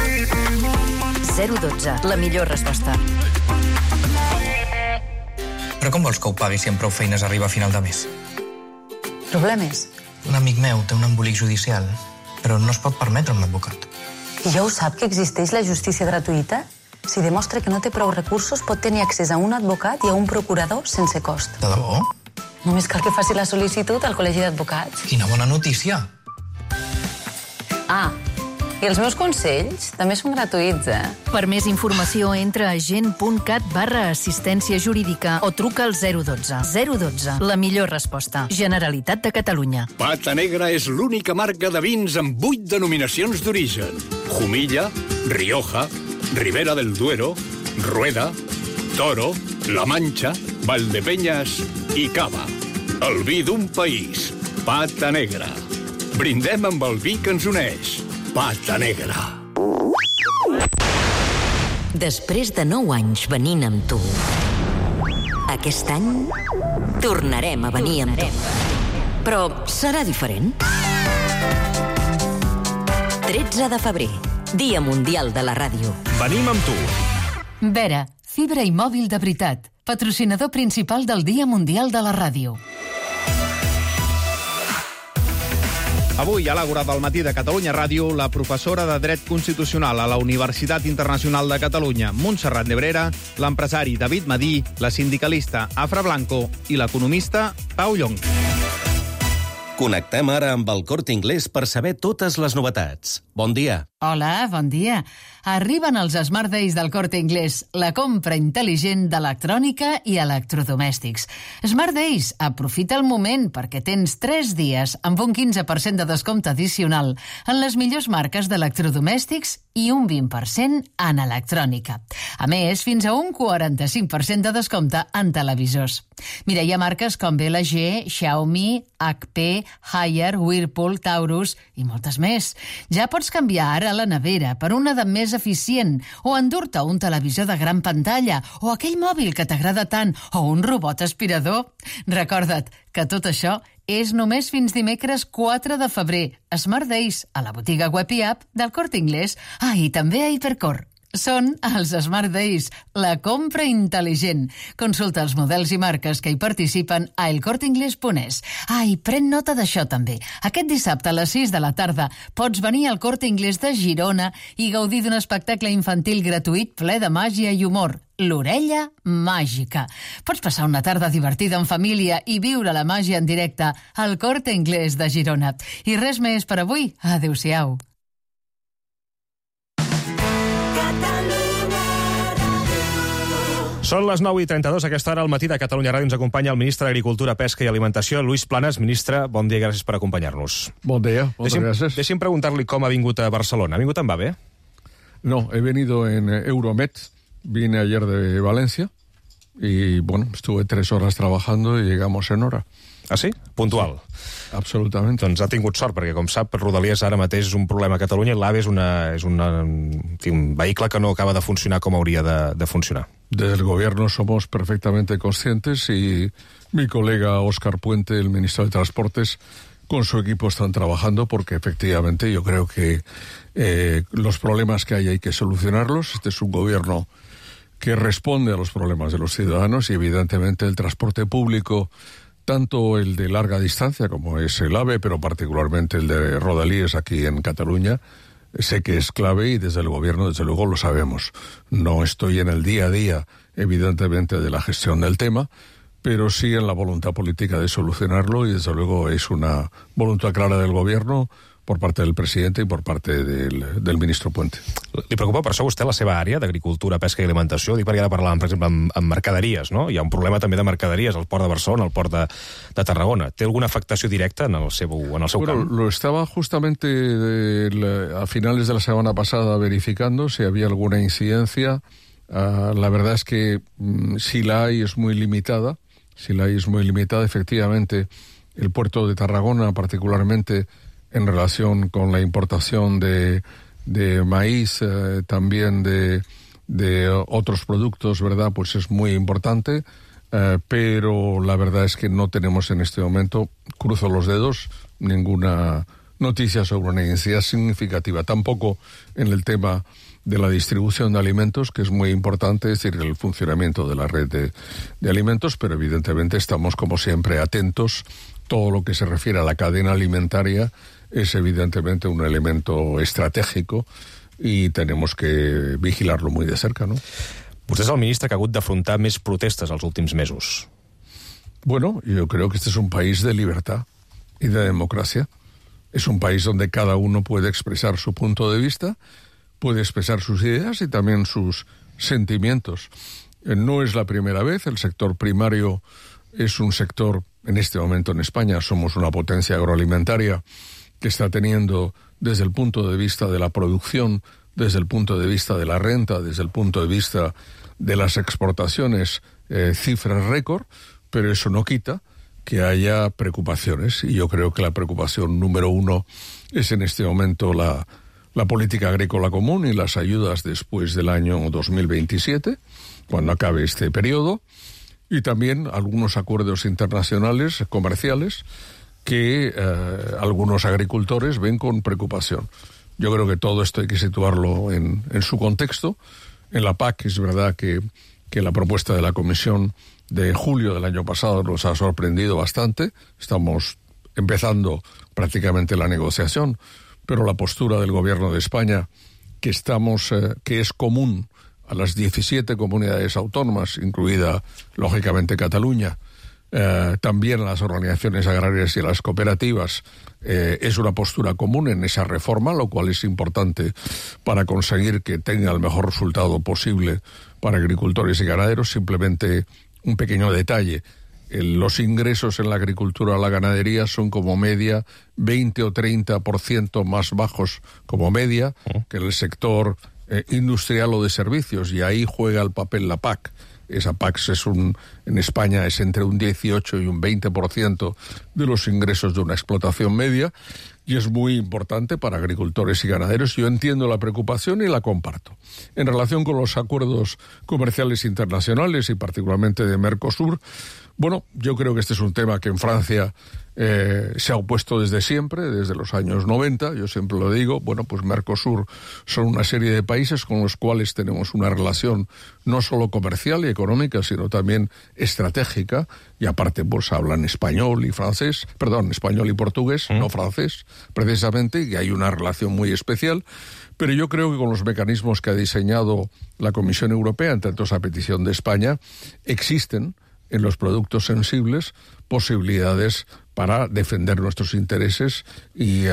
012, la millor resposta. Però com vols que ho pagui si amb prou feines arriba a final de mes? Problemes? Un amic meu té un embolic judicial, però no es pot permetre un advocat. I ja ho sap que existeix la justícia gratuïta? Si demostra que no té prou recursos, pot tenir accés a un advocat i a un procurador sense cost. De debò? Només cal que faci la sol·licitud al Col·legi d'Advocats. Quina bona notícia! Ah, i els meus consells també són gratuïts, Per més informació, entra a gent.cat/assistència jurídica o truca al 012. 012, la millor resposta. Generalitat de Catalunya. Pata Negra és l'única marca de vins amb 8 denominacions d'origen. Jumilla, Rioja, Ribera del Duero, Rueda, Toro, La Mancha, Valdepeñas i Cava. El vi d'un país. Pata Negra. Brindem amb el vi que ens uneix. Pata Negra. Després de 9 anys venint amb tu, aquest any tornarem a venir amb tu. Però serà diferent. 13 de febrer, Dia Mundial de la Ràdio. Venim amb tu. Vera, fibra i mòbil de veritat. Patrocinador principal del Dia Mundial de la Ràdio. Avui, a l'Àgora del matí de Catalunya Ràdio, la professora de Dret Constitucional a la Universitat Internacional de Catalunya, Montserrat Nebrera, l'empresari David Madí, la sindicalista Afra Blanco i l'economista Pau Llong. Connectem ara amb el Corte Inglés per saber totes les novetats. Bon dia. Hola, bon dia. Arriben els Smart Days del Corte Inglés, la compra intel·ligent d'electrònica i electrodomèstics. Smart Days, aprofita el moment perquè tens 3 dies amb un 15% de descompte addicional en les millors marques d'electrodomèstics i un 20% en electrònica. A més, fins a un 45% de descompte en televisors. Mira, hi ha marques com LG, Xiaomi, HP, Haier, Whirlpool, Taurus i moltes més. Ja pots canviar ara la nevera per una de més eficient o endur-te un televisor de gran pantalla o aquell mòbil que t'agrada tant o un robot aspirador. Recorda't que tot això és només fins dimecres 4 de febrer. Smart Days a la botiga web i app del Corte Inglés. Ah, i també a Hipercor. Són els Smart Days, la compra intel·ligent. Consulta els models i marques que hi participen a elcorteingles.es. Ah, i pren nota d'això també. Aquest dissabte a les 6 de la tarda pots venir al Corte Inglés de Girona i gaudir d'un espectacle infantil gratuït ple de màgia i humor. L'Orella Màgica. Pots passar una tarda divertida en família i viure la màgia en directe al Corte Inglés de Girona. I res més per avui. Adéu-siau. Són les 9:32, a aquesta hora al matí de Catalunya Ràdio ens acompanya el ministre d'Agricultura, Pesca i Alimentació, Luis Planas. Ministre, bon dia i gràcies per acompanyar-nos. Bon dia, moltes gràcies. Deixi'm preguntar-li com ha vingut a Barcelona. Ha vingut en AVE? No, he venido en Euromed. Vine ayer de Valencia y, bueno, estuve 3 horas trabajando y llegamos en hora. Ah, sí? Puntual. Sí, absolutament. Doncs ha tingut sort, perquè, com sap, Rodalies ara mateix és un problema a Catalunya i l'AVE és un vehicle que no acaba de funcionar com hauria de funcionar. Desde el gobierno somos perfectamente conscientes y mi colega Óscar Puente, el ministro de Transportes, con su equipo están trabajando porque efectivamente yo creo que los problemas que hay que solucionarlos. Este es un gobierno que responde a los problemas de los ciudadanos y evidentemente el transporte público, tanto el de larga distancia como es el AVE, pero particularmente el de Rodalies aquí en Cataluña, sé que es clave y desde el gobierno, desde luego, lo sabemos. No estoy en el día a día, evidentemente, de la gestión del tema, pero sí en la voluntad política de solucionarlo y desde luego es una voluntad clara del gobierno por parte del presidente i per parte del ministre Puente. Li preocupa per això a vostè la seva àrea d'agricultura, pesca i alimentació? Dic perquè ara parlàvem, per exemple, amb mercaderies, no? Hi ha un problema també de mercaderies al port de Barcelona, al port de Tarragona. Té alguna afectació directa en el seu camp? Lo estaba justamente a finales de la semana pasada verificando si había alguna incidencia. La verdad es que si la hay es muy limitada. Efectivamente, el puerto de Tarragona, particularmente en relación con la importación de maíz, también de otros productos, ¿verdad? Pues es muy importante, pero la verdad es que no tenemos en este momento, cruzo los dedos, ninguna noticias sobre una incidencia significativa. Tampoco en el tema de la distribución de alimentos, que es muy importante, es decir, el funcionamiento de la red de alimentos, pero evidentemente estamos, como siempre, atentos. Todo lo que se refiere a la cadena alimentaria es evidentemente un elemento estratégico i tenemos que vigilarlo muy de cerca, ¿no? Vostè és el ministre que ha hagut d'afrontar més protestes els últims mesos. Bueno, yo creo que este es un país de libertad y de democracia. Es un país donde cada uno puede expresar su punto de vista, puede expresar sus ideas y también sus sentimientos. No es la primera vez, el sector primario es un sector, en este momento en España somos una potencia agroalimentaria que está teniendo desde el punto de vista de la producción, desde el punto de vista de la renta, desde el punto de vista de las exportaciones, cifras récord, pero eso no quita que haya preocupaciones. Y yo creo que la preocupación número uno es en este momento la política agrícola común y las ayudas después del año 2027, cuando acabe este periodo, y también algunos acuerdos internacionales, comerciales, que algunos agricultores ven con preocupación. Yo creo que todo esto hay que situarlo en su contexto. En la PAC es verdad que la propuesta de la Comisión de julio del año pasado nos ha sorprendido bastante. Estamos empezando prácticamente la negociación, pero la postura del Gobierno de España, que es común a las 17 comunidades autónomas, incluida, lógicamente, Cataluña, también a las organizaciones agrarias y a las cooperativas, es una postura común en esa reforma, lo cual es importante para conseguir que tenga el mejor resultado posible para agricultores y ganaderos. Simplemente un pequeño detalle: los ingresos en la agricultura o la ganadería son como media 20 o 30% más bajos como media que en el sector industrial o de servicios, y ahí juega el papel la PAC. Esa PAC en España es entre un 18 y un 20% de los ingresos de una explotación media, y es muy importante para agricultores y ganaderos. Yo entiendo la preocupación y la comparto. En relación con los acuerdos comerciales internacionales y particularmente de Mercosur, bueno, yo creo que este es un tema que en Francia se ha opuesto desde siempre, desde los años 90, yo siempre lo digo. Bueno, pues Mercosur son una serie de países con los cuales tenemos una relación no solo comercial y económica, sino también estratégica, y aparte pues hablan español y portugués, no francés, precisamente, y hay una relación muy especial. Pero yo creo que con los mecanismos que ha diseñado la Comisión Europea, entre otros a petición de España, existen en los productos sensibles posibilitats para defender nuestros intereses i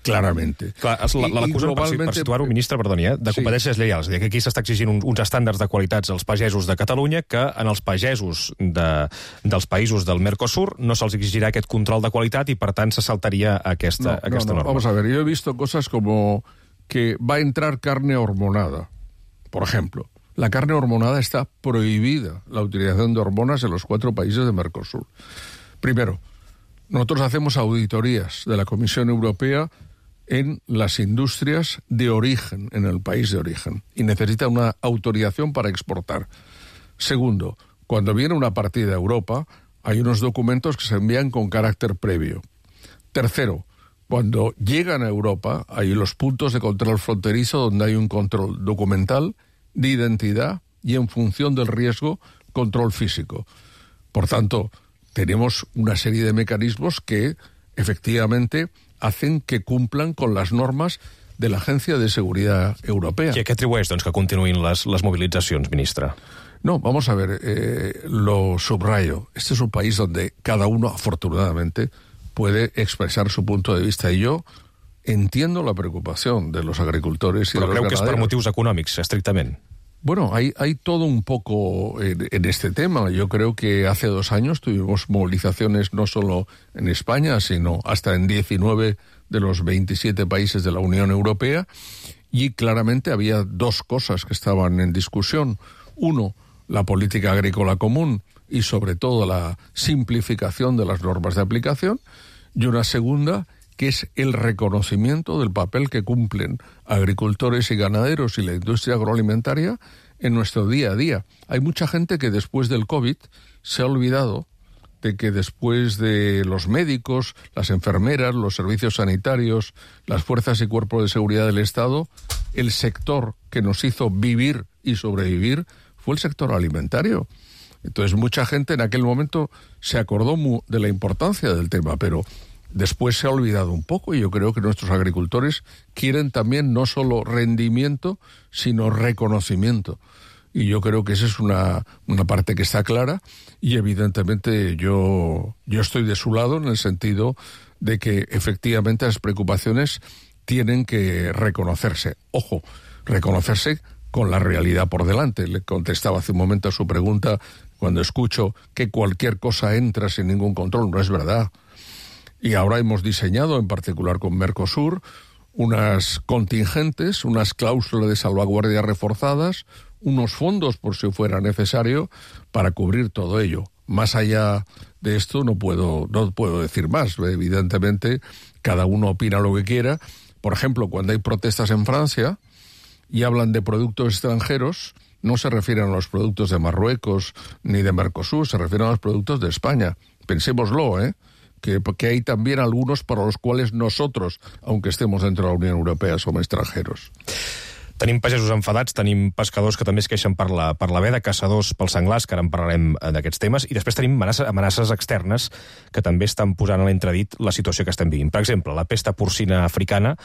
clarament. Clar, l'acusen, per situar-ho, ministre, perdoni, de competències lleials. És a dir, que aquí s'està exigint uns estàndards de qualitats als pagesos de Catalunya que en els pagesos dels països del Mercosur no se'ls exigirà aquest control de qualitat i, per tant, se saltaria aquesta norma. Vamos a ver, yo he visto cosas como que va a entrar carne hormonada, por ejemplo. La carne hormonada está prohibida, la utilización de hormonas en los 4 países de Mercosur. Primero, nosotros hacemos auditorías de la Comisión Europea en las industrias de origen, en el país de origen, y necesita una autorización para exportar. Segundo, cuando viene una partida a Europa, hay unos documentos que se envían con carácter previo. Tercero, cuando llegan a Europa, hay los puntos de control fronterizo donde hay un control documental, de identidad y, en función del riesgo, control físico. Por tanto, tenemos una serie de mecanismos que efectivamente hacen que cumplan con las normas de la Agencia de Seguridad Europea. I a què atribueix, doncs, que continuïn les mobilitzacions, ministre? No, vamos a ver, lo subrayo. Este es un país donde cada uno, afortunadamente, puede expresar su punto de vista, y yo entiendo la preocupación de los agricultores y de los ganaderos. Però creu que és per motius econòmics, estrictament? Bueno, hay todo un poco en este tema. Yo creo que hace 2 años tuvimos movilizaciones no solo en España, sino hasta en 19 de los 27 países de la Unión Europea, y claramente había 2 cosas que estaban en discusión. Uno, la política agrícola común y sobre todo la simplificación de las normas de aplicación, y una segunda, que es el reconocimiento del papel que cumplen agricultores y ganaderos y la industria agroalimentaria en nuestro día a día. Hay mucha gente que después del COVID se ha olvidado de que después de los médicos, las enfermeras, los servicios sanitarios, las fuerzas y cuerpos de seguridad del Estado, el sector que nos hizo vivir y sobrevivir fue el sector alimentario. Entonces mucha gente en aquel momento se acordó de la importancia del tema, pero después se ha olvidado un poco, y yo creo que nuestros agricultores quieren también no solo rendimiento, sino reconocimiento. Y yo creo que esa es una parte que está clara, y evidentemente yo estoy de su lado en el sentido de que efectivamente las preocupaciones tienen que reconocerse. Ojo, reconocerse con la realidad por delante. Le contestaba hace un momento a su pregunta cuando escucho que cualquier cosa entra sin ningún control. No es verdad. Y ahora hemos diseñado, en particular con Mercosur, unas contingentes, unas cláusulas de salvaguardia reforzadas, unos fondos por si fuera necesario para cubrir todo ello. Más allá de esto no puedo decir más. Evidentemente, cada uno opina lo que quiera. Por ejemplo, cuando hay protestas en Francia y hablan de productos extranjeros, no se refieren a los productos de Marruecos ni de Mercosur, se refieren a los productos de España. Pensémoslo, que hay también algunos para los cuales nosotros, aunque estemos dentro de la Unión Europea, som extranjeros. Tenim pagesos enfadats, tenim pescadors que també es queixen per la veda, caçadors pels senglars, que ara en parlarem d'aquests temes, i després tenim amenaces externes que també estan posant a l'entredit la situació que estem vivint. Per exemple, la pesta porcina africana,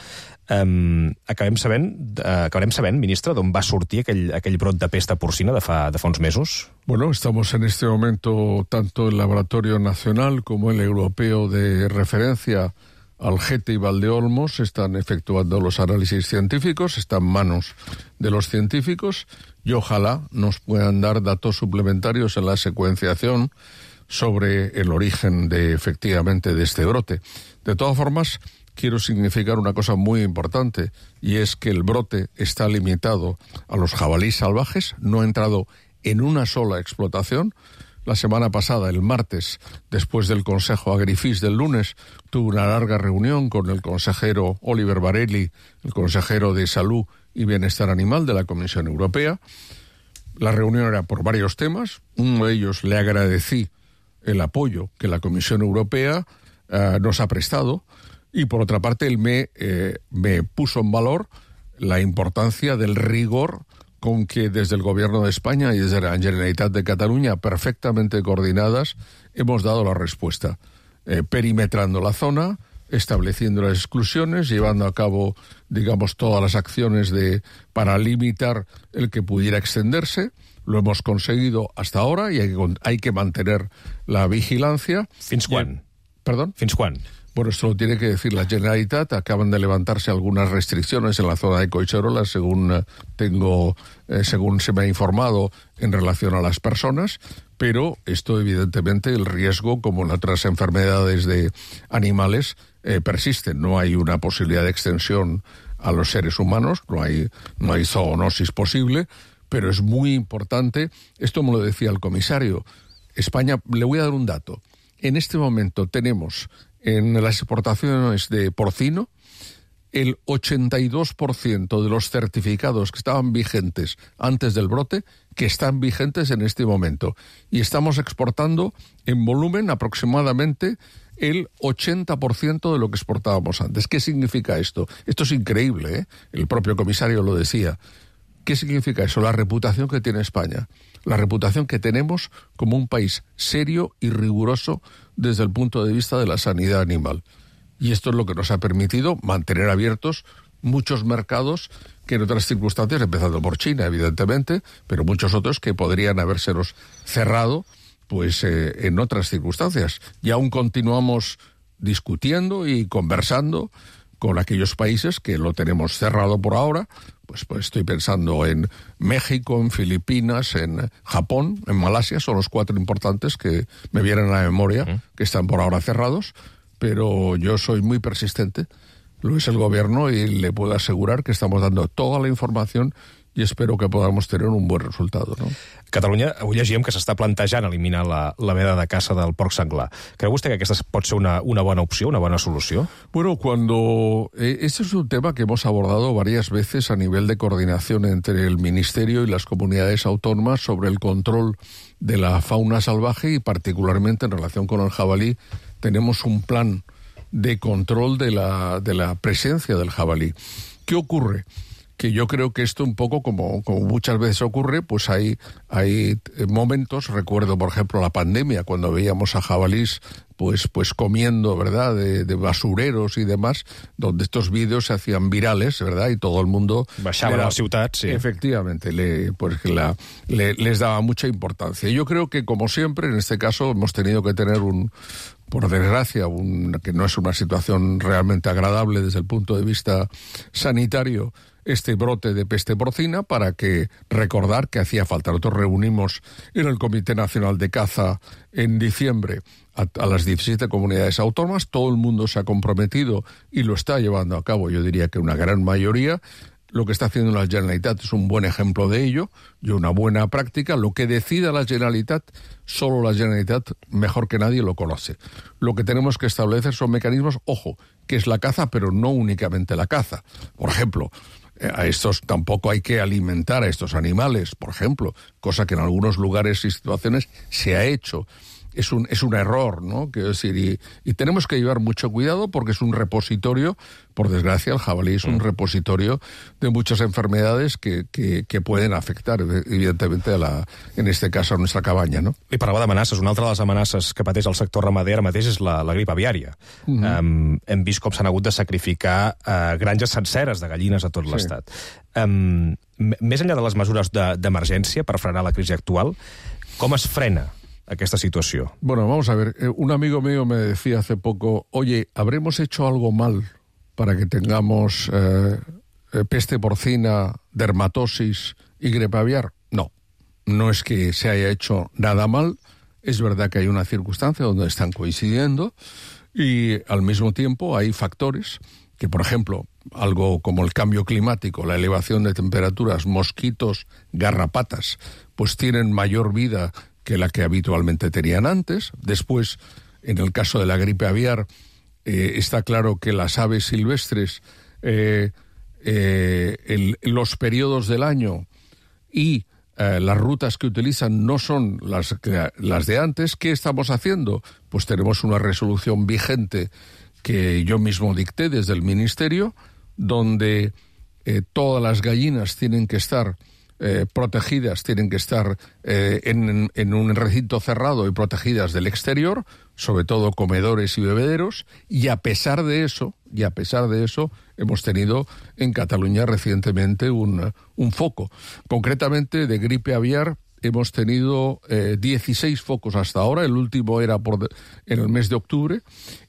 acabarem sabent, ministre, d'on va sortir aquell brot de pesta porcina de fa uns mesos? Bueno, estamos en este momento, tanto el Laboratorio Nacional como el Europeo de Referencia, Algete y Valdeolmos, están efectuando los análisis científicos, están en manos de los científicos, y ojalá nos puedan dar datos suplementarios en la secuenciación sobre el origen efectivamente de este brote. De todas formas, quiero significar una cosa muy importante, y es que el brote está limitado a los jabalíes salvajes, no ha entrado en una sola explotación. La semana pasada, el martes, después del Consejo Agrifis del lunes, tuve una larga reunión con el consejero Oliver Varelli, el consejero de Salud y Bienestar Animal de la Comisión Europea. La reunión era por varios temas. Uno de ellos, le agradecí el apoyo que la Comisión Europea nos ha prestado, y por otra parte él me puso en valor la importancia del rigor con que desde el Gobierno de España y desde la Generalitat de Cataluña, perfectamente coordinadas, hemos dado la respuesta, perimetrando la zona, estableciendo las exclusiones, llevando a cabo, digamos, todas las acciones para limitar el que pudiera extenderse. Lo hemos conseguido hasta ahora y hay que mantener la vigilancia. Fins quan? ¿Perdón? Fins quan? Bueno, esto lo tiene que decir la Generalitat. Acaban de levantarse algunas restricciones en la zona de Collserola, según se me ha informado, en relación a las personas, pero esto evidentemente el riesgo, como en otras enfermedades de animales, persiste. No hay una posibilidad de extensión a los seres humanos, no hay zoonosis posible, pero es muy importante. Esto me lo decía el comisario. España, le voy a dar un dato. En este momento tenemos en las exportaciones de porcino el 82% de los certificados que estaban vigentes antes del brote, que están vigentes en este momento. Y estamos exportando en volumen aproximadamente el 80% de lo que exportábamos antes. ¿Qué significa esto? Esto es increíble, ¿eh? El propio comisario lo decía. ¿Qué significa eso? La reputación que tiene España. La reputación que tenemos como un país serio y riguroso desde el punto de vista de la sanidad animal. Y esto es lo que nos ha permitido mantener abiertos muchos mercados que en otras circunstancias, empezando por China, evidentemente, pero muchos otros que podrían habérselos cerrado pues en otras circunstancias. Y aún continuamos discutiendo y conversando con aquellos países que lo tenemos cerrado por ahora. Pues estoy pensando en México, en Filipinas, en Japón, en Malasia. Son los 4 importantes que me vienen a la memoria, que están por ahora cerrados. Pero yo soy muy persistente, lo es el gobierno, y le puedo asegurar que estamos dando toda la información y espero que podamos tener un buen resultado, ¿no? Catalunya, avui llegíem que s'està plantejant eliminar la veda de caça del porc senglar. ¿Creu vostè que aquesta pot ser una buena opció, una buena solució? Bueno, este es un tema que hemos abordado varias veces a nivel de coordinación entre el Ministerio y las comunidades autónomas sobre el control de la fauna salvaje y particularmente en relación con el jabalí. Tenemos un plan de control de la presencia del jabalí. ¿Qué ocurre? Que yo creo que esto un poco, como muchas veces ocurre, pues hay momentos, recuerdo por ejemplo la pandemia, cuando veíamos a jabalís pues comiendo, ¿verdad?, de basureros y demás, donde estos vídeos se hacían virales, ¿verdad?, y todo el mundo... Baixaven a la ciutat, sí. Efectivamente, les daba mucha importancia. Yo creo que, como siempre, en este caso hemos tenido que tener por desgracia, que no es una situación realmente agradable desde el punto de vista sanitario, este brote de peste porcina, para recordar que hacía falta. Nosotros reunimos en el Comité Nacional de Caza en diciembre a las 17 comunidades autónomas. Todo el mundo se ha comprometido y lo está llevando a cabo, yo diría que una gran mayoría. Lo que está haciendo la Generalitat es un buen ejemplo de ello y una buena práctica. Lo que decida la Generalitat, solo la Generalitat, mejor que nadie, lo conoce. Lo que tenemos que establecer son mecanismos, ojo, que es la caza, pero no únicamente la caza. Por ejemplo, a estos tampoco hay que alimentar a estos animales, por ejemplo, cosa que en algunos lugares y situaciones se ha hecho. Es un error, ¿no? Quiero decir, y tenemos que llevar mucho cuidado porque es un repositorio, por desgracia el jabalí es un repositorio de muchas enfermedades que pueden afectar, evidentemente, en este caso a nuestra cabaña, no? Li parlava d'amenaces. Una altra de les amenaces que pateix el sector ramader ara mateix és la grip aviària. Hem vist com s'han hagut de sacrificar granges senceres de gallines a tot l'estat. Més enllà de les mesures d'emergència per frenar la crisi actual, com es frena esta situación? Bueno, vamos a ver. Un amigo mío me decía hace poco, oye, ¿habremos hecho algo mal para que tengamos peste porcina, dermatosis y gripe aviar? No, no es que se haya hecho nada mal. Es verdad que hay una circunstancia donde están coincidiendo y al mismo tiempo hay factores que, por ejemplo, algo como el cambio climático, la elevación de temperaturas, mosquitos, garrapatas, pues tienen mayor vida que la que habitualmente tenían antes. Después, en el caso de la gripe aviar, está claro que las aves silvestres, los periodos del año y las rutas que utilizan no son las de antes. ¿Qué estamos haciendo? Pues tenemos una resolución vigente que yo mismo dicté desde el Ministerio, donde todas las gallinas tienen que estar protegidas, tienen que estar en un recinto cerrado y protegidas del exterior, sobre todo comedores y bebederos, y a pesar de eso hemos tenido en Cataluña recientemente un foco. Concretamente de gripe aviar hemos tenido 16 focos hasta ahora, el último era en el mes de octubre,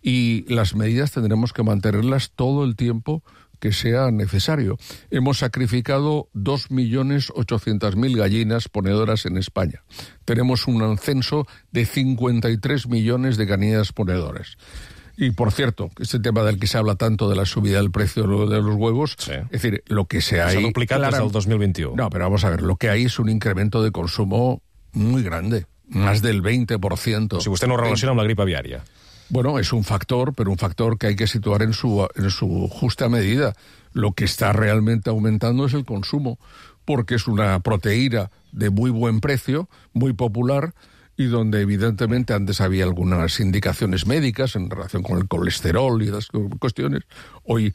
y las medidas tendremos que mantenerlas todo el tiempo que sea necesario. Hemos sacrificado 2.800.000 gallinas ponedoras en España. Tenemos un censo de 53 millones de gallinas ponedoras. Y, por cierto, este tema del que se habla tanto de la subida del precio de los huevos, sí. Es decir, lo que se hay... Se ha duplicado desde el 2021. No, pero vamos a ver, lo que hay es un incremento de consumo muy grande, más del 20%. Si usted no relaciona amb la gripe aviària. Bueno, es un factor, pero un factor que hay que situar en su justa medida. Lo que está realmente aumentando es el consumo, porque es una proteína de muy buen precio, muy popular, y donde evidentemente antes había algunas indicaciones médicas en relación con el colesterol y las cuestiones. Hoy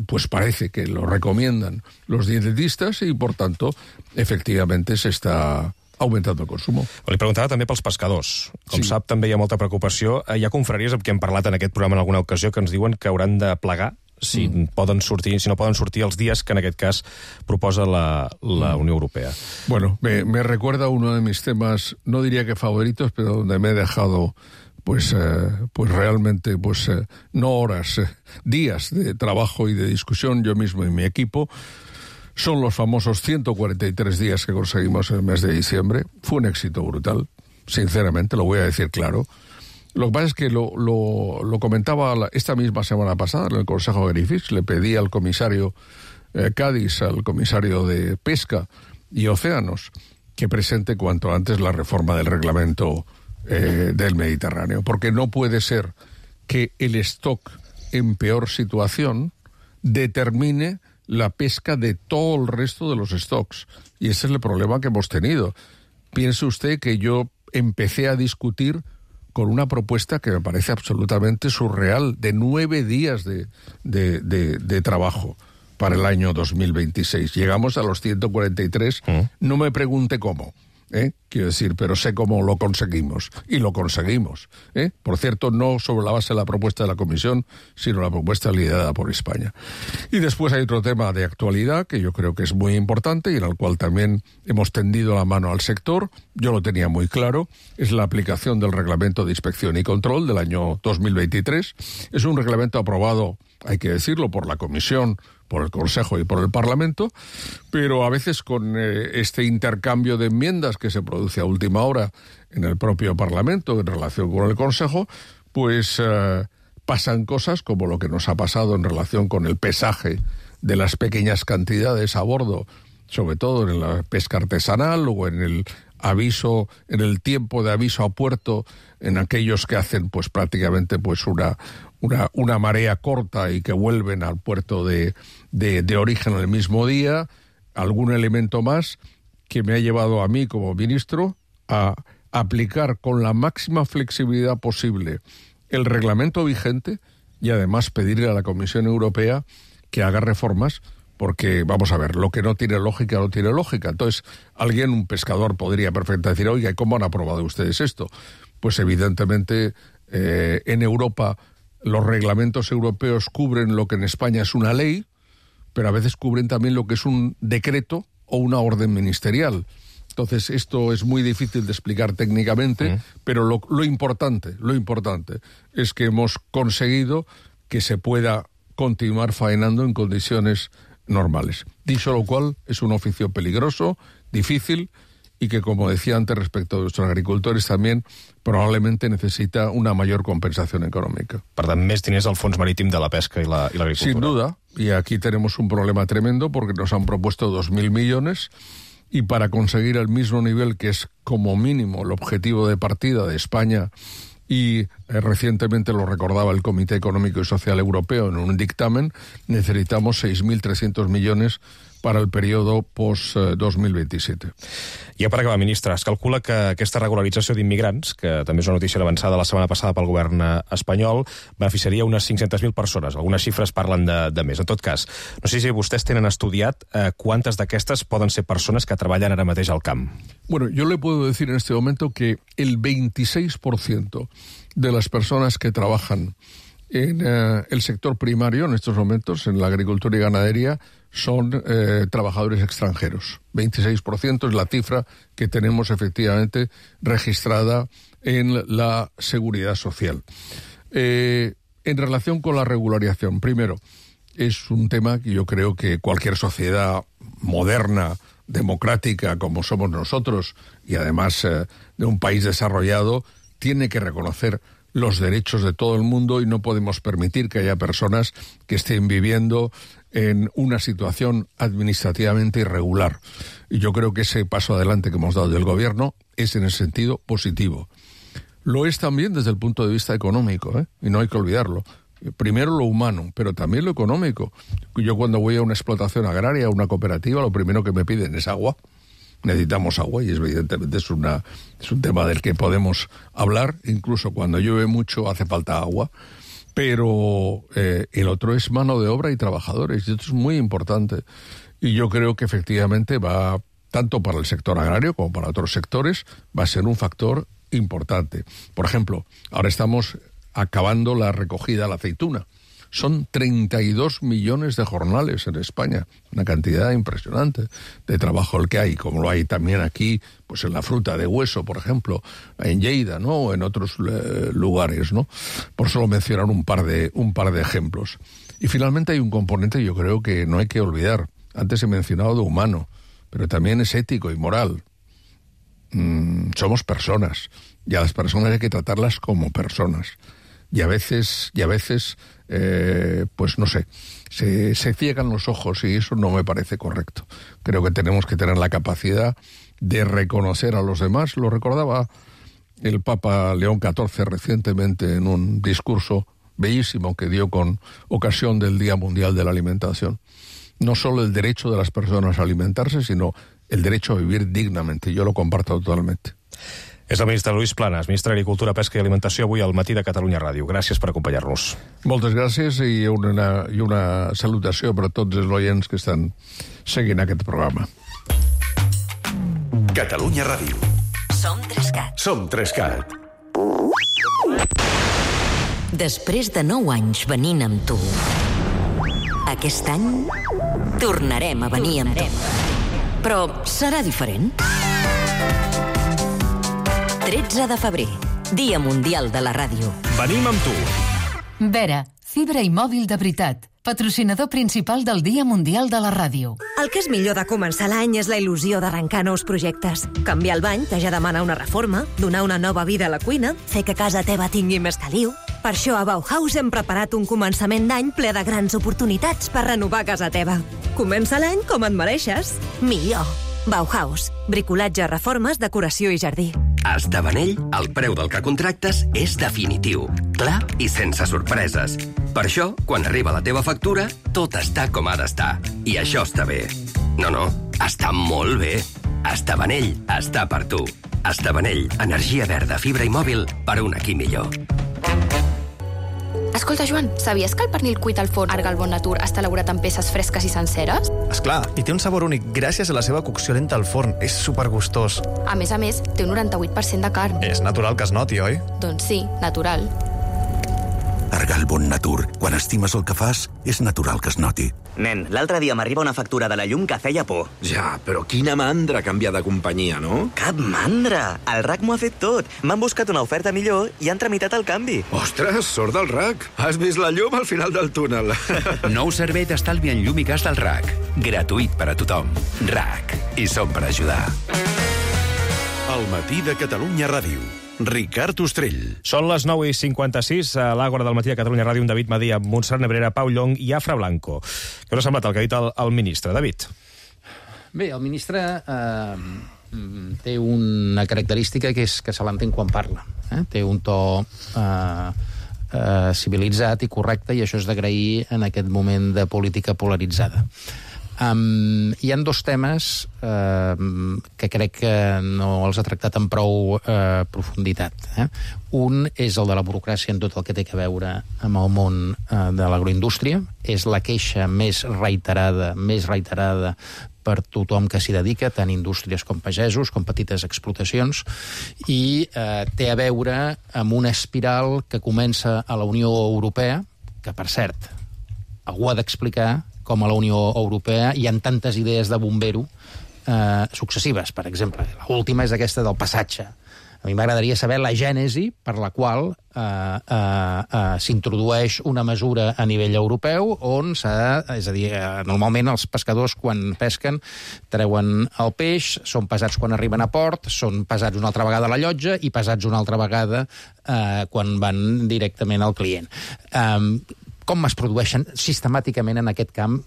pues parece que lo recomiendan los dietetistas y, por tanto, efectivamente se está augmentant el consum. Li preguntava també pels pescadors. Com sap, també hi ha molta preocupació. Hi ha confraries amb qui hem parlat en aquest programa en alguna ocasió que ens diuen que hauran de plegar si no poden sortir els dies que en aquest cas proposa la Unió Europea. Bueno, me recuerda uno de mis temas, no diría que favoritos, pero donde me he dejado pues realmente no horas, días de trabajo y de discusión yo mismo y mi equipo. Son los famosos 143 días que conseguimos en el mes de diciembre. Fue un éxito brutal, sinceramente, lo voy a decir claro. Lo que pasa es que lo comentaba esta misma semana pasada en el Consejo Greenpeace. Le pedí al comisario Cádiz al comisario de Pesca y Océanos que presente cuanto antes la reforma del reglamento del Mediterráneo, porque no puede ser que el stock en peor situación determine la pesca de todo el resto de los stocks. Y ese es el problema que hemos tenido. Piense usted que yo empecé a discutir con una propuesta que me parece absolutamente surreal, de 9 días de trabajo para el año 2026. Llegamos a los 143, no me pregunte cómo. Quiero decir, pero sé cómo lo conseguimos, y lo conseguimos. Por cierto, no sobre la base de la propuesta de la Comisión, sino la propuesta liderada por España. Y después hay otro tema de actualidad que yo creo que es muy importante y en el cual también hemos tendido la mano al sector. Yo lo tenía muy claro, es la aplicación del Reglamento de Inspección y Control del año 2023. Es un reglamento aprobado, hay que decirlo, por la Comisión, por el Consejo y por el Parlamento, pero a veces con este intercambio de enmiendas que se produce a última hora en el propio Parlamento en relación con el Consejo, pues pasan cosas como lo que nos ha pasado en relación con el pesaje de las pequeñas cantidades a bordo, sobre todo en la pesca artesanal o en el aviso, en el tiempo de aviso a puerto, en aquellos que hacen pues prácticamente pues una marea corta y que vuelven al puerto de origen el mismo día. Algún elemento más que me ha llevado a mí como ministro a aplicar con la máxima flexibilidad posible el reglamento vigente y además pedirle a la Comisión Europea que haga reformas, porque, vamos a ver, lo que no tiene lógica, no tiene lógica. Entonces, un pescador podría perfectamente decir, oiga, ¿y cómo han aprobado ustedes esto? Pues evidentemente en Europa los reglamentos europeos cubren lo que en España es una ley, pero a veces cubren también lo que es un decreto o una orden ministerial. Entonces, esto es muy difícil de explicar técnicamente, pero lo importante es que hemos conseguido que se pueda continuar faenando en condiciones normales. Dicho lo cual, es un oficio peligroso, difícil, y que, como decía antes respecto a nuestros agricultores, también probablemente necesita una mayor compensación económica. Per tant, més diners al Fons Marítim de la Pesca y la Agricultura. Sin duda, y aquí tenemos un problema tremendo porque nos han propuesto 2.000 millones y para conseguir el mismo nivel que es como mínimo el objetivo de partida de España, y recientemente lo recordaba el Comité Económico y Social Europeo en un dictamen, necesitamos 6.300 millones para el periodo post-2027. Ja per acabar, ministre, es calcula que aquesta regularització d'immigrants, que també és una notícia avançada la setmana passada pel govern espanyol, beneficiaria unes 500.000 persones. Algunes xifres parlen de més. En tot cas, no sé si vostès tenen estudiat quantes d'aquestes poden ser persones que treballen ara mateix al camp. Bueno, yo le puedo decir en este momento que el 26% de las personas que trabajan en el sector primario en estos momentos, en la agricultura y ganadería, son trabajadores extranjeros. 26% es la cifra que tenemos efectivamente registrada en la Seguridad Social. En relación con la regularización, primero, es un tema que yo creo que cualquier sociedad moderna, democrática como somos nosotros, y además de un país desarrollado, tiene que reconocer los derechos de todo el mundo y no podemos permitir que haya personas que estén viviendo en una situación administrativamente irregular. Y yo creo que ese paso adelante que hemos dado del Gobierno es en el sentido positivo. Lo es también desde el punto de vista económico, y no hay que olvidarlo. Primero lo humano, pero también lo económico. Yo cuando voy a una explotación agraria, a una cooperativa, lo primero que me piden es agua. Necesitamos agua y evidentemente es un tema del que podemos hablar. Incluso cuando llueve mucho hace falta agua. Pero el otro es mano de obra y trabajadores, y esto es muy importante. Y yo creo que efectivamente va, tanto para el sector agrario como para otros sectores, va a ser un factor importante. Por ejemplo, ahora estamos acabando la recogida de la aceituna. Son 32 millones de jornales en España, una cantidad impresionante de trabajo el que hay, como lo hay también aquí, pues en la fruta de hueso, por ejemplo, en Lleida, ¿no? O en otros lugares, ¿no? Por solo mencionar un par de ejemplos. Y finalmente hay un componente, yo creo que no hay que olvidar. Antes he mencionado de humano, pero también es ético y moral. Somos personas, y a las personas hay que tratarlas como personas. Y a veces pues no sé, se ciegan los ojos y eso no me parece correcto. Creo que tenemos que tener la capacidad de reconocer a los demás. Lo recordaba el Papa León XIV recientemente en un discurso bellísimo que dio con ocasión del Día Mundial de la Alimentación. No solo el derecho de las personas a alimentarse, sino el derecho a vivir dignamente. Jo lo comparto totalment. És el ministre Lluís Planas, ministre d'Agricultura, Pesca i Alimentació, avui al Matí de Catalunya Ràdio. Gràcies per acompanyar-nos. Moltes gràcies i una salutació per a tots els oients que estan seguint aquest programa. Catalunya Ràdio. Som 3CAT. Som 3CAT. Després de 9 anys venint amb tu, aquest any tornarem a venir amb tu. Però serà diferent. 13 de febrer, Dia Mundial de la Ràdio. Venim amb tu. Vera, fibra i mòbil de veritat. Patrocinador principal del Dia Mundial de la Ràdio. El que és millor de començar l'any és la il·lusió d'arrencar nous projectes. Canviar el bany, que ja demana una reforma, donar una nova vida a la cuina, fer que casa teva tingui més caliu. Per això a Bauhaus hem preparat un començament d'any ple de grans oportunitats per renovar casa teva. Comença l'any com et mereixes. Millor. Bauhaus. Bricolatge, reformes, decoració i jardí. A Estabanell, el preu del que contractes és definitiu, clar i sense sorpreses. Per això, quan arriba la teva factura, tot està com ha d'estar. I això està bé. No, està molt bé. Estabanell està per tu. Estabanell, energia verda, fibra i mòbil per un aquí millor. Escolta, Joan, sabies que el pernil cuit al forn Argal Bon Natur està elaborat amb peces fresques i senceres? Esclar, i té un sabor únic gràcies a la seva cocció lenta al forn. És supergustós. A més, té un 98% de carn. És natural que es noti, oi? Doncs sí, natural. Argal Bon Natur. Quan estimes el que fas, és natural que es noti. Nen, l'altre dia m'arriba una factura de la llum que feia por. Ja, però quina mandra canviar de companyia, no? Cap mandra! El RAC m'ho ha fet tot. M'han buscat una oferta millor i han tramitat el canvi. Ostres, sort del RAC. Has vist la llum al final del túnel. Nou servei d'estalvi en llum i gas del RAC. Gratuït per a tothom. RAC. I som per ajudar. El Matí de Catalunya Ràdio. Ricard Ostrell. Són les 9:56 a l'Àgora del Matí de Catalunya Ràdio, amb David Madí, amb Montserrat Nebrera, Pau Llong i Afra Blanco. Què us ha semblat el que ha dit el ministre? David? Bé, el ministre té una característica que és que se l'entén quan parla. Té un to civilitzat i correcte, i això és d'agrair en aquest moment de política polaritzada. Hi ha dos temes que crec que no els ha tractat amb prou profunditat. Un és el de la burocràcia en tot el que té a veure amb el món de l'agroindústria. És la queixa més reiterada per tothom que s'hi dedica, tant indústries com pagesos, com petites explotacions, i té a veure amb una espiral que comença a la Unió Europea, que, per cert, algú ha d'explicar com a la Unió Europea hi ha tantes idees de bombero successives. Per exemple, l'última és aquesta del passatge. A mi m'agradaria saber la gènesi per la qual s'introdueix una mesura a nivell europeu on és a dir, normalment els pescadors quan pesquen treuen el peix, són pesats quan arriben a port, són pesats una altra vegada a la llotja i pesats una altra vegada quan van directament al client. Com es produeixen sistemàticament en aquest camp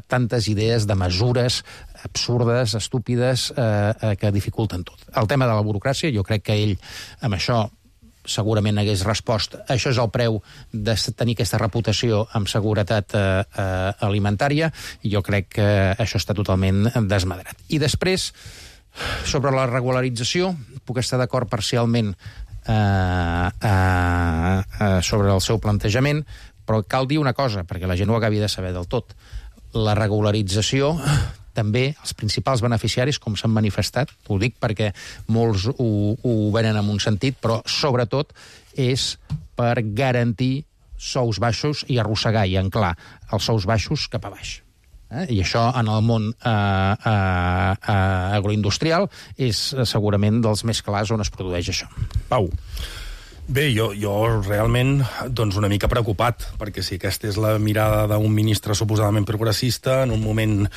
tantes idees de mesures absurdes, estúpides, que dificulten tot. El tema de la burocràcia, jo crec que ell amb això segurament hagués respost. Això és el preu de tenir aquesta reputació amb seguretat alimentària, i jo crec que això està totalment desmadrat. I després, sobre la regularització, puc estar d'acord parcialment sobre el seu plantejament, però cal dir una cosa, perquè la gent ho acabi de saber del tot. La regularització, també, els principals beneficiaris, com s'han manifestat, ho dic perquè molts ho venen en un sentit, però sobretot és per garantir sous baixos i arrossegar i anclar els sous baixos cap a baix. I això en el món agroindustrial és segurament dels més clars on es produeix això. Pau. Bé, jo realment una mica preocupat, perquè si aquesta és la mirada d'un ministre suposadament progressista, en un moment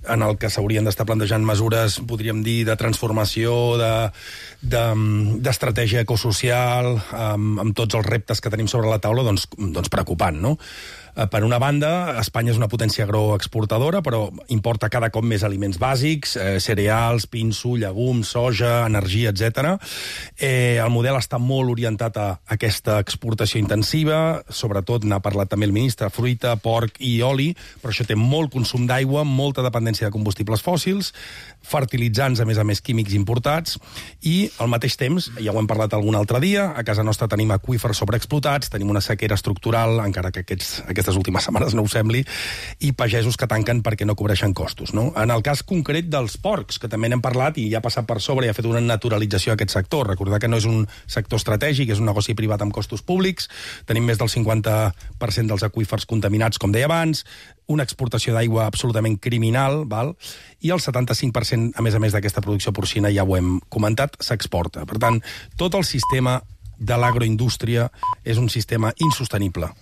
en el que s'haurien d'estar plantejant mesures, podríem dir, de transformació, d'estratègia ecosocial, amb tots els reptes que tenim sobre la taula, doncs preocupant, no? Per una banda, Espanya és una potència agroexportadora, però importa cada cop més aliments bàsics, cereals, pinso, llegums, soja, energia, etc. El model està molt orientat a aquesta exportació intensiva, sobretot, n'ha parlat també el ministre, fruita, porc i oli, però això té molt consum d'aigua, molta dependència de combustibles fòssils, fertilitzants, a més, químics importats, i al mateix temps, ja ho hem parlat algun altre dia, a casa nostra tenim aqüífers sobreexplotats, tenim una sequera estructural, encara que aquestes últimes setmanes no ho sembli, i pagesos que tanquen perquè no cobreixen costos, no? En el cas concret dels porcs, que també n'hem parlat i ja ha passat per sobre i ha fet una naturalització a aquest sector. Recordar que no és un sector estratègic, és un negoci privat amb costos públics, tenim més del 50% dels aqüífers contaminats, com deia abans, una exportació d'aigua absolutament criminal, val? I el 75%, a més d'aquesta producció porcina, ja ho hem comentat, s'exporta. Per tant, tot el sistema de l'agroindústria és un sistema insostenible.